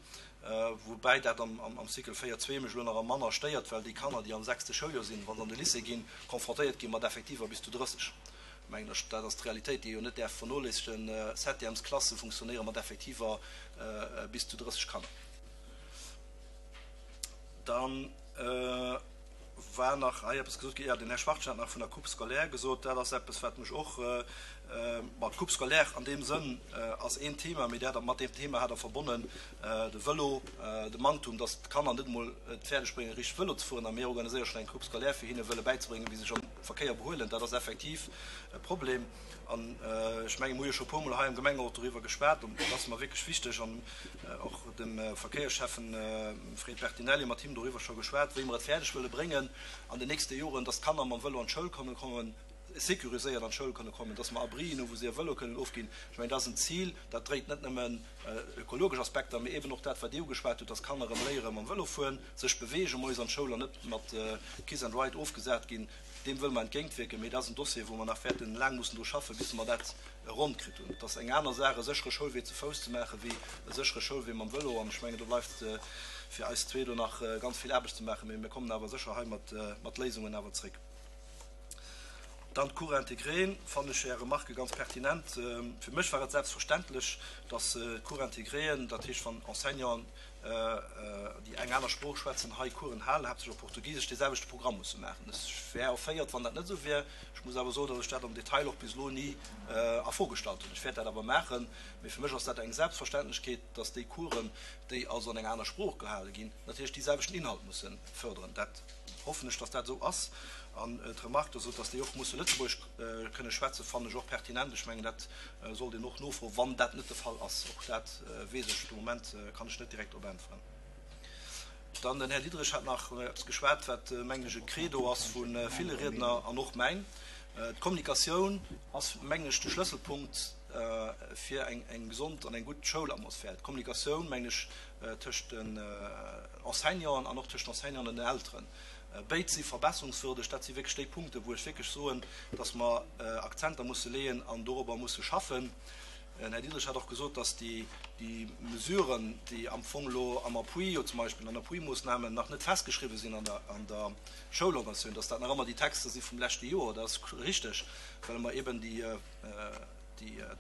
Woubäi dat am Cycle 4, 2 mech elo nach am manner stéiert, well déi Kanner, déi am sechste Schouljoer sinn, wa se an de Lycée ginn, confrontéiert gi mat Effektiver bis zu 30. Mengen ech, dat ass d'Realitéit, déi ee jo net däerf vernoléissegen. Septièmesklasse funktionéiere mat Effektiver bis zu 30 Kanner. Dann war nach hei eppes gesot ginn, jo, den Här Schwachtgen hat nach vun der Coupe scolaire gesot. Dat ass eppes, wat mech och, ma d'Coupe scolaire an deem Sënn ass een Thema, mee dat, mat deem Thema hat Der verbonnen de Vëlo, de Manktum, dass d'Kanner net emol et fäerdeg bréngen, richteg Vëlo ze fueren, a mir organiséiere schonn eng Coupe scolaire, fir hinne wëlle bäizebréngen, wéi se sech am Verkéier behuelen. Dat ass effektiv e Problem. An ech mengen, mir hu jo scho e puermol hei am Gemengerot doriwwer geschwat, an dat ass mer wierklech wichteg, an och dem Verkéierschäffen Fred Bertinelli, mat him doriwwer scho geschwat, wéi mer et fäerdeg wëlle bréngen an den nächste Joren, dass d'Kanner mam Vëlo an d'Schoul kënne kommen, sécuriséiert an d'Schoul kënne kommen, dass mer Abrien hu wou se hir Vëlo kënnen ofginn. Ech mengen, dat ass en Zil, dat dréit net nëmmen ökologesch Aspekter, mee eben och dat, wat Dir ugeschwat hutt, dass d'Kanner erëm léiere mam Vëlo fueren, sech beweegen moies an d'Schoul an net mat Kiss and Ride ofgesat ginn. Deem wëlle mer entgéintwierken, mee dat ass en Dossier, wou mer nach wäerten laang mussen dru schaffen, bis mer dat ronn kritt hunn. Et ass eng aner Saach, e séchere Schoulwee ze Fouss ze maachen, wéi e séchere Schoulwee mam Vëlo. An ech mengen, do bleift fir eis zwee do nach ganz vill Aarbecht ze maachen, mee mir kommen awer sécher hei mat Léisungen awer zréck. Dann d'Cours intégrés, fannen ech Är Remarque ganz pertinent. Fir mech war et selbstverständlech, dass d'Cours intégréen, dat heescht, wann Enseignanten, déi eng aner Sprooch schwätzen, hei Coursen halen, haaptsächlech op Portugisesch, dee selwechte Programm musse maachen. Ech wär erféiert, wann dat net esou wär. Ech muss awer soen, datt ech dat am Detail och bis elo ni a Fro gestallt hunn. Ech wäert dat awer maachen. Mee fir mech ass dat eng Selbstverständlechkeet, datt déi Coursen, déi also an enger aner Sprooch gehale ginn, natierlech dee selwechten Inhalt musse fërderen. Dat hoffen ech, datt dat esou ass. An d'Remarque, der sot, datt déi och musse Lëtzebuergesch kënne schwätzen, fannen ech och pertinent. Ech mengen, dat sollt een och nofroen, wann dat net de Fall ass. Och dat weess ech de Moment, kann ech net direkt drop äntweren. Dann den Här Diderich hat nach eppes geschwat, wat, mengen ech, e Credo ass vu ville Riedner an och mäin. D'Kommunikatioun ass, mengen ech, de Schlësselpunkt fir eng gesond an eng gutt Schoulatmosphär. D'Kommunikatioun, mengen ech, tëscht den Enseignanten an och tëscht den Enseignanten an den Elteren. Béid si verbesserungswürdeg. Dat si wierklech déi Punkten, wou ech wierklech soen, dass mer Akzenter musse leeën an dorobber musse schaffen. Den Här Diderich hat och gesot, dass déi Mesuren, déi am Fong elo am Appui, jo zum Beispill an Appuimoossnamen, nach net festgeschriwwen sinn an der Schoulorganisatioun, dass dat nach ëmmer déi Texter si vum leschte Joer. Dat ass richteg, well mer eben déi,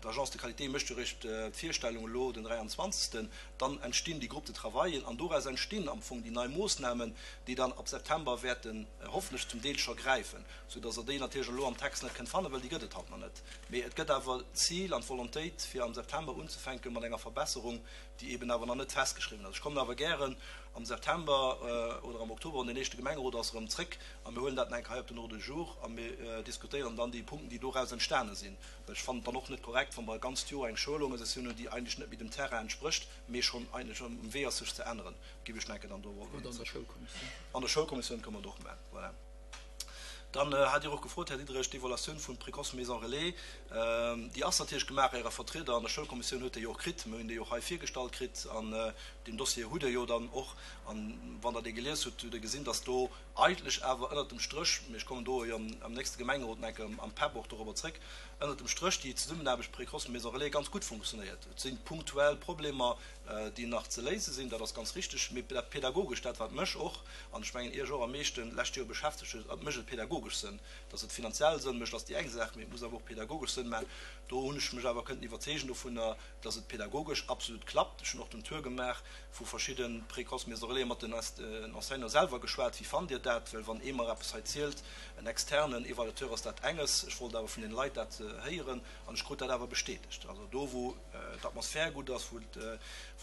D'Agence de qualité mécht jo eréischt d'Virstellung elo den 23. Dann entstinn déi Groupes de travaillen an doraus entstinn am Fong déi nei Moossnamen, déi dann ab September wäerten hoffentlech zum Deel scho gräifen, soudass Der déi natierlech elo am Text net kënnt fannen, well déi gëtt et haut nach net. Mee et gëtt awer d'Zil an d'Volontéit, fir am September unzefänke mat enger Verbesserung, déi eeben awer nach net festgeschriwwen ass. Ech kommen awer gären am September oder am Oktober, wann deen éischte Gemengerot ass, erëm zréck a mir huelen dat nach eng Kéier hei op den Ordre du jour a mir diskutéieren dann déi Punkten, déi doraus entstane sinn. Well ech fannen et dann och net korrekt, wa mer e ganzt Joer eng Schoulorganisatioun hunn, déi eigentlech net méi dem Terrain entsprécht, mee schonn eigentlech um Wee ass, sech ze änneren. Géif ech nach eng Kéier dann do. Oder an der Schoulkommissioun. An der Schoulkommissioun kënne mer et och maachen, voilà. Dann hat Dir och gefrot, Här Diderich, d'Evaluatioun vun Précoce Maison Relais, déi ass natierlech gemaach. Äre Vertrieder an der Schoulkommissioun huet déi jo och kritt. Mir hunn déi och hei virgestallt kritt an deen Dossier hutt Der jo dann och. An wann Der dee gelies hutt, hutt Der gesinn, dass do eigentlech awer ënnert dem Stréch, mee ech kommen do jo am nächste Gemengerot nach eng Kéier am PEP och dorobber zréck, ënnert dem Stréch déi Zesummenaarbecht Précoce Maison Relais ganz gutt funktionéiert. Et si punktuell Problemer, déi nach ze léise sinn, dat ass ganz richtig, mee dat Pädagogescht, dat wat mech och, an ech mengen Iech och am meeschten d'lescht Joer beschäftegt huet, et mécht et pädagogesch Sënn. Dass et finanziell Sënn mécht, ass déi eng Saach, mee et muss awer och pädagogesch Sënn maachen. Do hunn ech mech awer kënnten iwwerzeegen dovunner, dass et pädagogesch absolut klappt. Ech hunn och den Tour gemaach vu verschidde Précoce Maison Relais, mat den Enseignanten selwer geschwat, Wéi fannt Dir dat? Well wann ee mer eppes hei zielt, en externen Evaluateur, ass dat enges. Ech wollt awer vun den Leit dat héieren an ech krut dat awer bestätegt. Also do, wou d'Atmosphär gutt ass, wou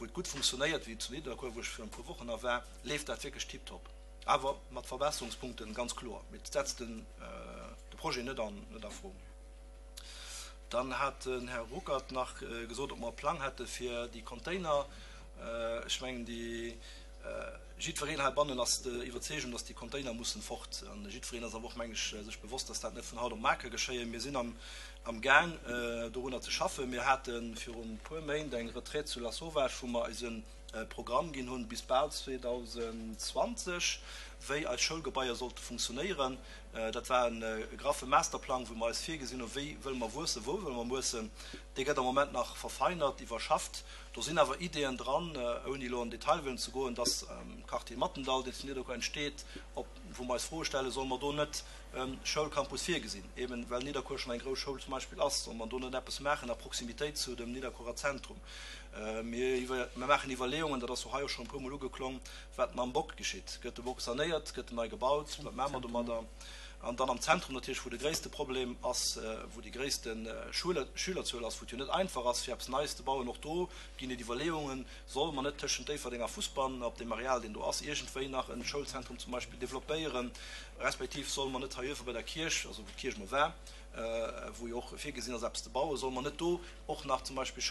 et gutt funktionéiert, wéi zu Nidderkuer, wou ech virun e puer Wochen nach war, leeft dat wierklech tiptop. Awer mat Verbesserungspunkten, ganz kloer. Mee et setzt de Projet net a Fro. Dann hat den Här Ruckert nach gesot, ob mer e Plang hätte fir déi Container. Ech mengen, déi, jiddwereen heibannen ass der Iwwerzeegung, dass déi Container mussen fort. An jiddwereen ass awer och, meng ech, sech bewosst, dass dat net vun haut op mar ka geschéien. Mir sinn am Gaang, dorunner ze schaffen. Mir hate virun e puer Méint eng Retraite zu Lasauvage, wou mer eise Programm ginn hunn bis bal 2020, wéi eis Schoulgebaier sollte funktionéieren. Dat war e graffe Masterplang, wou mer eis virgesinn hunn, wéi wëlle mer wuessen, wou wëlle mer wuessen. Dee gëtt am Moment nach verfeinert, iwwerschafft. Do sinn awer Ideeën dran, ouni elo an den Detail wëllen ze goen, dass am Quartier Mattendall, deen zu Nidderkuer entsteet, op, wou mer eis Froe stellen, Solle mer do net e Schoulcampus virgesinn, eben well Nidderkuer schonn eng grouss Schoul zum Beispill ass, solle mer do net eppes maachen a Proximitéit zu dem Nidderkuerer Zentrum? Mir maachen Iwwerleeungen, dat ass jo hei och schonn e puermol ugeklong, wat mam Bock geschitt. Gëtt de Bock sanéiert? Gëtt en nei gebaut? Wat maache mer domadder? An dann am Zentrum natierlech, wou de gréisste Problem ass, wou déi gréisste Schülerzuel ass, wou et jo net einfach ass, fir eppes Neies ze bauen, och do ginn et Iwwerleeungen, Solle mer net tëschent Déifferdeng a Fussbann op deem Areal, deen do ass, iergendwéi nach e Schoulzentrum zum Beispill developpéieren, respektiv solle mer net hei uewe bei der Kierch, also wou d'Kierch emol war, wou jo och virgesinn ass, eppes ze bauen, solle mer net do och nach zum Beispill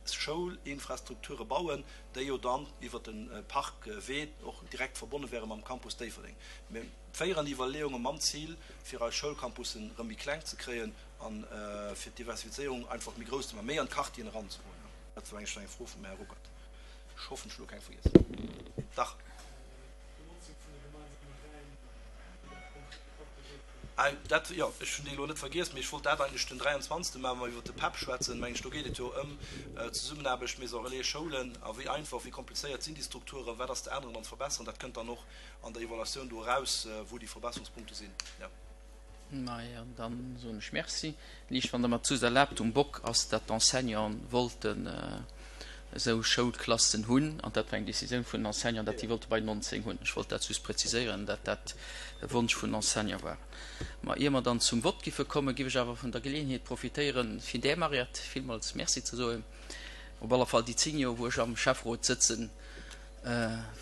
Schoulinfrastrukture bauen, déi jo dann iwwert de Parkwee och direkt verbonne wäre mam Campus Déifferdeng. Mir féieren déi Iwwerleeunge mam Zil, fir eis Schoulcampussen erëm méi kleng ze kréien a fir d'Diversifizéierung einfach méi grouss ze maachen, méi an d'Quartieren eranzegoen. Dat war eng Fro vum Här Ruckert. Ech hoffen, ech hunn elo keng vergiess. Dach. Dat, jo, ech hunn déi elo net vergiess, mee ech wollt dat eigentlech den 23. maachen, wa mer iwwert de PEP schwätzen, mengen ech. Do geet et jo ëm d'Zesummenaarbecht Maison Relais, Schoulen a wéi einfach, wéi komplizéiert sinn déi Strukturen, wat ass ze änneren an ze verbesseren. Dat kënnt dann och an der Evaluatioun do eraus, wou déi Verbesserungspunkte sinn, jo. Majo, dann soen ech Merci. Liicht, wann Der mer d'Sus erlaabt, um Bock ass, dat d'Enseignanten wollten esou Schoulklassen hunn, an dat war eng Décisioun vun den Enseignanten, dat déi wollte bei 19 hunn. Ech wollt dat just präziséieren, dat dat e Wonsch vun den Enseignanten war. Ma ier mer dann zum Vott giffe kommen, giff ech awer vun der Geleeënheet profitéieren, fir där Mariette villmools Merci ze soen. Op alle Fall déi 10 Joer, wou ech am Schäfferot sëtzen,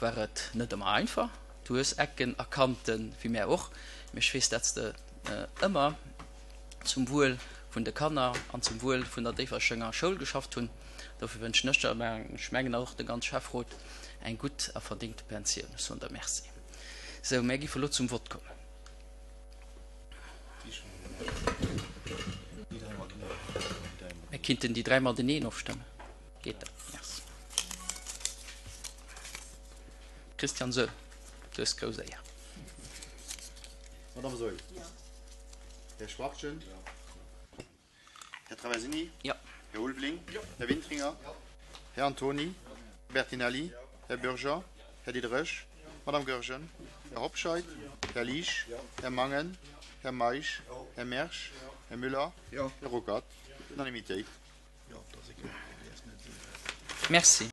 war et net ëmmer einfach. Du hues Ecken a Kanten, wéi mär och, mee ech weess, dat s de ëmmer zum Wuel vun de Kanner an zum Wuel vun der Déifferchenger Schoul geschafft hunn. Dofir wënschen ech der, mä ech mengen och de ganz Schäfferot, eng gutt a verdéngte Pensioun. Ech soen der Merci. Sou, mär giffe lo zum Vott kommen. Mär kinnten déi 3 mateneen ofstëmmen. Geet dat? Merci. Christian Saeul, du hues d'grouss Éier. Madame Saeul. Här Schwachtgen. Här Traversini. Här Ulveling. Här Wintringer. Här Antony. Här Bertinelli. Här Bürger. Här Diderich. Madame Goergen. Här Hobscheit. Här Liesch. Här Mangen. Här Meisch. Här Mersch. Här Müller. Här Ruckert. Unanimitéit. Merci.